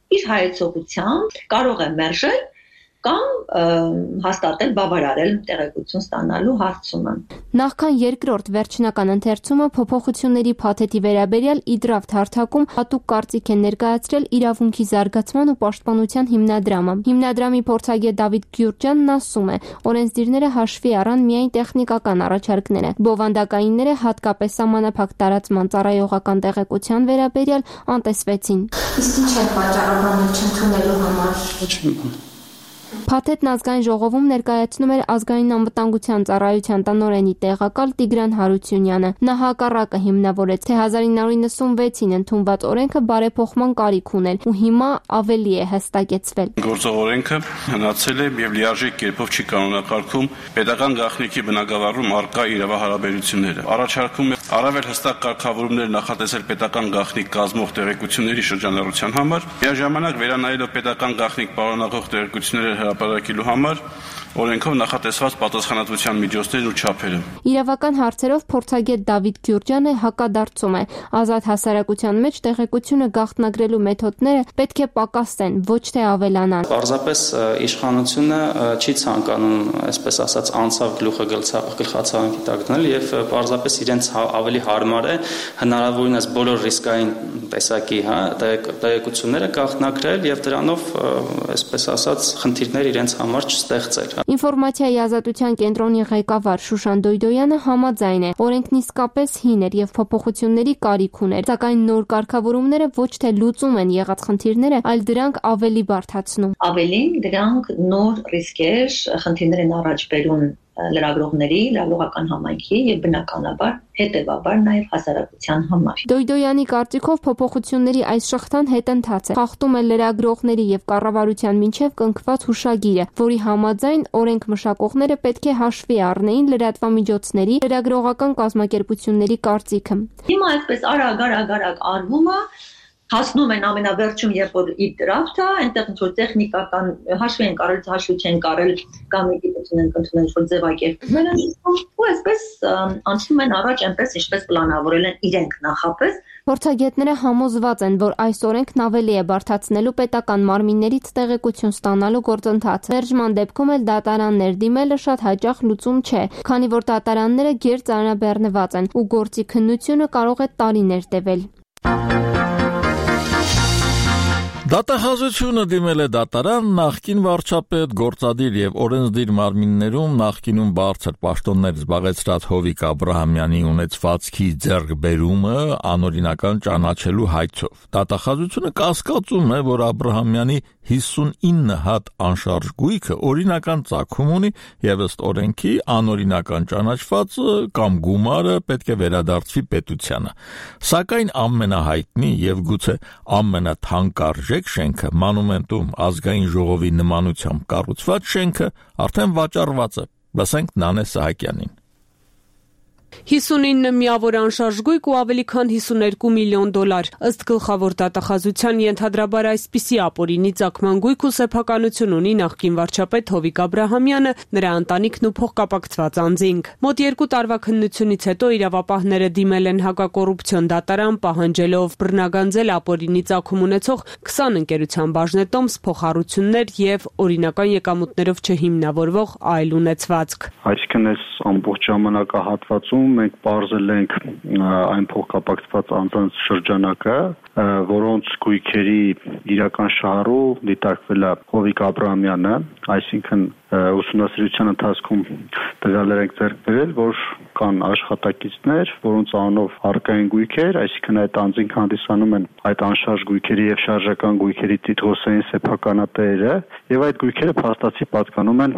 N: իր հայեցողությամբ կարող է մերժել կամ հաստատել, բավարարել տեղեկություն ստանալու հարցումը։
M: Նախքան երկրորդ վերջնական ընթերցումը փոփոխությունների փաթեթի վերաբերյալ Իդրավթ հարթակում հատուկ կարծիք են ներկայացրել իրավունքի զարգացման ու պաշտպանության հիմնադրամը։ Հիմնադրամի փորձագետ Դավիթ Գյուրջյանն ասում է, օրենսդիրները հաշվի առան միայն տեխնիկական առաջարկները։ Բովանդակայինները հատկապես սահմանափակ տարածման ծառայողական տեղեկության վերաբերյալ անտեսվեցին։ Իսկ ինչ է պատճառաբանել չընդունելու համար։ Փաթեթն ազգային ժողովում ներկայացնում էր ազգային անվտանգության ծառայության տնօրենի տեղակալ Տիգրան Հարությունյանը։ Նա հակառակը հիմնավորեց, թե հազար ինը հարյուր նվեցին ընդունված օրենքը բարեփոխման կարիք ուներ ու հիմա ավելի է հստակեցվել։
V: Գործող օրենքը հնացել է եւ լիարժեք կերպով չի կանոնակարգում պետական գաղտնիքի բնագավառում առկա իրավահարաբերությունները։ Առաջարկում է առավել հստակ կարգավորումներ նախատեսել պետական գաղտնիք կազմող տեղեկությունների շրջանառության համար, միաժամանակ վերանայելով պետական գաղտնիք պարունակող տեղեկությունները հրապարակելու համար օրենքով նախատեսված պատասխանատվության միջոցներն ու չափերը։
M: Իրավական հարցերով փորձագետ Դավիթ Գյուրջյանը հակադարձում է, ազատ հասարակության մեջ տեղեկությունը գաղտնագրելու մեթոդները պետք է պակասեն, ոչ թե ավելանան։
W: Պարզապես իշխանությունը չի ցանկանում, այսպես ասած, անցավ գլուխը գլխացավանքի տակ դնել եւ պարզապես իրենց ավելի հարմար է հնարավորինս բոլոր ռիսկային տեսակի, հա, տեղեկությունները գաղտնագրել եւ դրանով, այսպես ասած, խնդիրներ իրենց համար չստեղծել։
M: Ինֆորմացիայի ազատության կենտրոնի ղեկավար Շուշան Դոյդոյանը համաձայն է, օրենքն իսկապես հին էր եւ փոփոխությունների կարիք ուներ, սակայն նոր կարգավորումները ոչ թե լուծում են եղած խնդիրները, այլ դրանք ավելի բարդացնում։
N: Ավելին, դրանք նոր ռիսկեր, խնդիրներ են առաջ բերում լրագրողների, լրագրողական համայնքի եւ բնականաբար հետեւաբար նաեւ հասարակության համար։
M: Դոյդոյանի կարծիքով փոփոխությունների այս շղթան հետընթաց է, խախտում է լրագրողների եւ կառավարության միջև կնքված հուշագիրը, որի համաձայն օրենք մշակողները պետք է հաշվի առնեին լրատվամիջոցների, լրագրողական կազմակերպությունների կարծիքը։
N: Հիմա այսպես արագ-արագ-արագ արվում է, հասնում են ամենավերջում, երբ որ իր դրաֆթը, այնտեղ ինչ-որ տեխնիկական հաշվի են կարել, հաշվի չեն կարել, կամ գիտություն են կնդունել ինչ-որ ձևակերպումներ են իսկում, ու այսպես անցնում են առաջ այնպես, ինչպես պլանավորել են իրենք նախապես։
M: Փորձագետները համոզված են, որ այս օրենքն ավելի է բարդացնելու պետական մարմիններից տեղեկություն ստանալու գործընթացը։ Վերջման դեպքում էլ դատարաններ դիմելը շատ հաճախ լուծում չէ, քանի որ դատարանները գերծանրաբեռնված են ու գործի քննությունը կարող է տարիներ տևել։
A: Դատախազությունը դիմել է դատարան նախկին վարչապետ, գործադիր եւ օրենսդիր մարմիններում նախկինում բարձր պաշտոններ զբաղեցրած Հովիկ Աբրահամյանի ունեցվածքի ձեռքբերումը անօրինական ճանաչելու հայցով։ Դատախազությունը կասկածում է, որ Աբրահամյանի հիսունինը հատ անշարժ գույքը օրինական ծագում ունի եւ ըստ օրենքի անօրինական ճանաչվածը կամ գումարը պետք է վերադարձվի պետությանը։ Սակայն ամենահայտնի եւ գուցե ամենաթանկարժեք շենքը մանումենտում ազգային ժողովի նմանությամբ կառուցված շենքը արդեն վաճառված է։ Լսենք Նանե Սահակյանին։
K: հիսունինը միավոր անշարժ գույք ու ավելի քան հիսուներկու միլիոն դոլար։ Ըստ գլխավոր դատախազության ենթադրաբար այսպիսի ապօրինի ծագման գույք ու սեփականություն ունի նախկին վարչապետ Հովիկ Աբրահամյանը, նրա ընտանիքն ու փոխկապակցված անձինք։ Մոտ երկու տարվա քննությունից հետո իրավապահները դիմել են հակակոռուպցիոն դատարան, պահանջելով բռնագանձել ապօրինի ծագում ունեցող քսան ընկերության բաժնետոմս, փոխառություններ եւ օրինական եկամուտներով չհիմնավորվող այլ ունեցվածք։
O: Այսինքն այս ամբողջ ժամանակահատվածում մենք բարձել ենք այն փոխկապակցված անձանց շրջանակը, որոնց գույքերի իրական շահառու դիտարկվել է Հովիկ Աբրահամյանը, այսինքն ուսումնասիրության ընթացքում տվյալներ ենք ձեռք բերել, որ կան աշխատակիցներ, որոնց անունով առկային գույքեր, այսինքն այդ անձինք հանդիսանում են այդ անշարժ գույքերի եւ շարժական գույքերի տիտղոսային սեփականատերերը, եւ այդ գույքերը փաստացի պատկանում են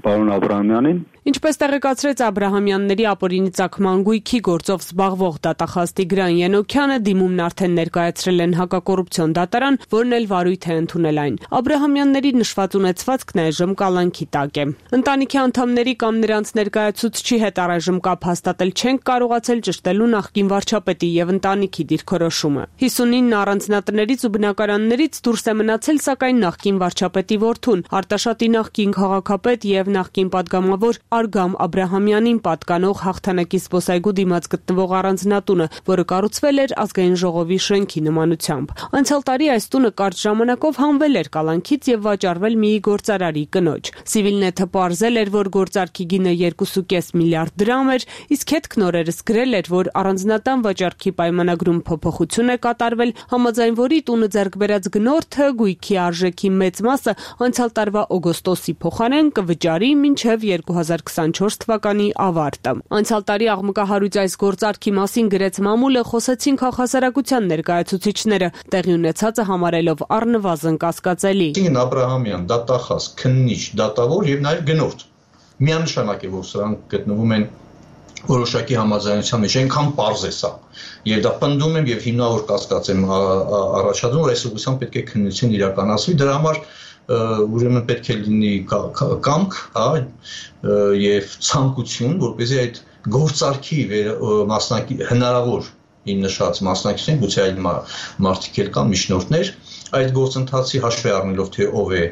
O: պարոն Աբրահամյանին։
K: Ինչպես տեղեկացրեց Աբրահամյանների ապօրինի ծագման գույքի գործով զբաղվող դատախազ Տիգրան Ենոքյանը, դիմումն արդեն ներկայացրել են հակակոռուպցիոն դատարան, որն էլ վարույթ է ընդունել այն։ Աբրահամյանների նշված ունեցվածքն այժմ կալանքի տակ է։ Ընտանիքի անդամների կամ նրանց ներկայացուցչի հետ առայժմ կապ հաստատել չենք կարողացել ճշտելու նախկին վարչապետի եւ ընտանիքի դիրքորոշումը։ հիսունինը առանձնատներից ու բնակարաններից դուրս է մնացել, սակայն նախկին վարչապետի որդուն, Արտաշատի նախկին քաղաքապետ եւ նախկին падգամավոր Արգամ Աբրահամյանին պատկանող հաղթանակի զբոսայգու դիմաց գտնվող առանձնատունը, որը կառուցվել էր ազգային ժողովի շենքի նմանությամբ։ Անցյալ տարի այս տունը կարճ ժամանակով հանվել էր կալանքից եւ վաճառվել մի գործարարի կնոջ։ Civilnet-ը պարզել էր, որ գործարքի գինը երկու կόμμα պենս միլիարդ դրամ էր, իսկ հետքն օրերս գրել էր, որ առանձնատան վաճառքի պայմանագրում փոփոխություն է կատարվել, համաձայն որի տունը ձեռք բերած գնորդը գույքի արժեքի մեծ մասը անցյալ տարվա օգոստոսի փոխարեն կվճարի մինչեւ երկու հազար քսանչորս թվականի ավարտը։ Անցյալ տարի աղմկահարույց այս գործարքի մասին գրեց մամուլը, խոսեցին քաղաքասարակության ներկայացուցիչները, տեղի ունեցածը համարելով առնվազն կասկածելի։
Q: Աբրահամյան, դատախազ, քննիչ, դատավոր եւ նաեւ գնորդ։ Միանշանակ է, որ սրանք գտնվում են որոշակի համաձայնության մեջ, այնքան պարզ է սա։ Եվ դա պնդում եմ եւ հիմնավոր կասկած եմ առաջադրում, որ այս ուղղությամբ պետք է քննություն իրականացվի, դրա համար ուրեմն պետք է լինի կամք, հա, եւ ցանկություն, որպեսզի այդ գործարքի մասնակի հնարավոր իմ նշած մասնակիցներին, գուցե այլ մարդիկ էլ կան, միջնորդներ, այդ գործընթացի հաշվի առնելով թե ով է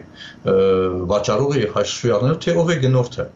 Q: վաճառողը եւ հաշվի առնելով թե ով է գնորդը։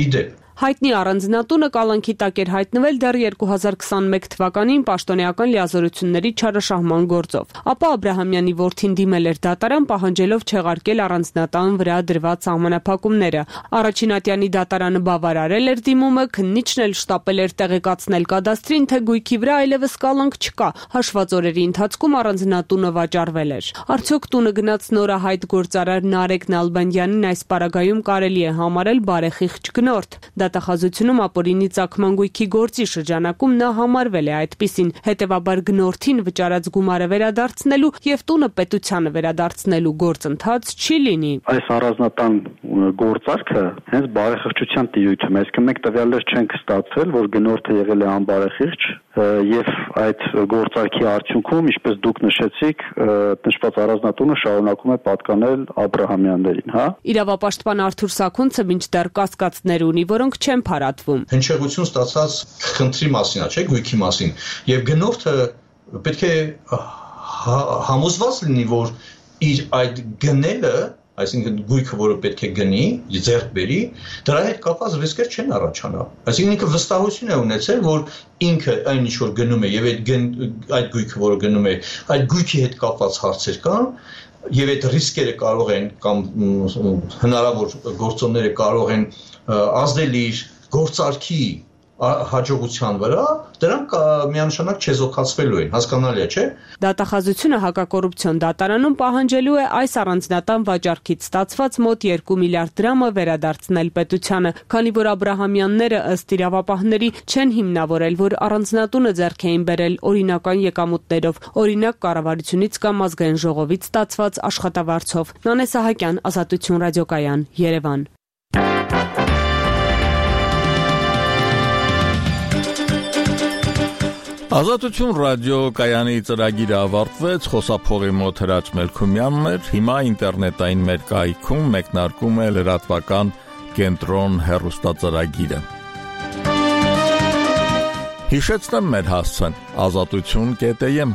Q: Իդեպ
K: Հայտնի առանձնատունը կալանքի տակ էր հայտնվել դեռ երկու հազար քսանմեկ թվականին պաշտոնեական լիազորությունների չարաշահման գործով։ Ապա Աբրահամյանի որդին դիմել էր դատարան, պահանջելով չեղարկել առանձնատան վրա դրված սահմանափակումները։ Առաջին ատյանի դատարանը բավարարել էր դիմումը, քննիչն էլ շտապել էր տեղեկացնել կադաստրին, թե գույքի վրա այլևս կալանք չկա։ Հաշված օրերի ընթացքում առանձնատունը վաճառվել էր։ Արդյոք տունը գնաց նորահայտ գործարար Նարեկ Նալբանդյանին այս պարագայում կարելի է համարել բարեխիղճ գնորդ։ Դատախազությունում ապօրինի ծագման գույքի գործի շրջանակում նա համարվել է այդպիսին, հետևաբար գնորդին վճարած գումարը վերադարձնելու եւ տունը պետությանը վերադարձնելու գործընթաց չի լինի։
O: Այս առանձնատան գործարքը հենց բարեխիղճության տիրույթում է, այսինքն մենք տվյալներ չենք ստացել, որ գնորդը եղել է անբարեխիղճ եւ այդ գործարքի արդյունքում, ինչպես դուք նշեցիք, նշված առանձնատունը շարունակում է պատկանել Աբրահամյաններին, հա։
K: Իրավապաշտպան Արթուր Սաքունցը մինչդեռ կասկածներ ունի, որոնք չեն փարատվում։
Q: Հնչեղություն ստացած խնդրի մասին, չէ՞, գույքի մասին, եւ գնորդը պետք է համոզված լինի, որ իր այդ գնելը, այսինքն գույքը, որը պետք է գնի, ձեռք բերի, դրա հետ կապված ռիսկեր չեն առաջանա։ Այսինքն ինքը վստահություն է ունեցել, որ ինքը այն ինչ որ գնում է եւ այդ այդ գույքը, որը գնում է, այդ գույքի հետ կապված հարցեր կան, եւ այդ ռիսկերը կարող են կամ հնարավոր գործոնները կարող են ազդել իր գործարքի հաջողության վրա, դրանք միանշանակ չեզոքացվելու են, հասկանալի է, չէ՞։
K: Դատախազությունը հակակոռուպցիոն դատարանում պահանջելու է այս առանձնատան վաճառքից ստացված մոտ երկու միլիարդ դրամը վերադարձնել պետությանը, քանի որ Աբրահամյանները ըստ իրավապահների չեն հիմնավորել, որ առանձնատունը ձեռք էին բերել օրինական եկամուտներով, օրինակ կառավարությունից կամ ազգային ժողովից ստացված աշխատավարձով։ Նանե Սահակյան, Ազատություն ռադիոկայան, Երևան։
A: Ազատություն ռադիոկայանի ծրագիրը ավարտվեց, խոսափողի մոտ Հրաչ Մելքումյանն էր, հիմա ինտերնետային մեր կայքում մեկնարկում է լրատվական կենտրոն հեռուստածրագիրը։ Հիշեցնեմ մեր հասցեն՝ ազատություն կետ եմ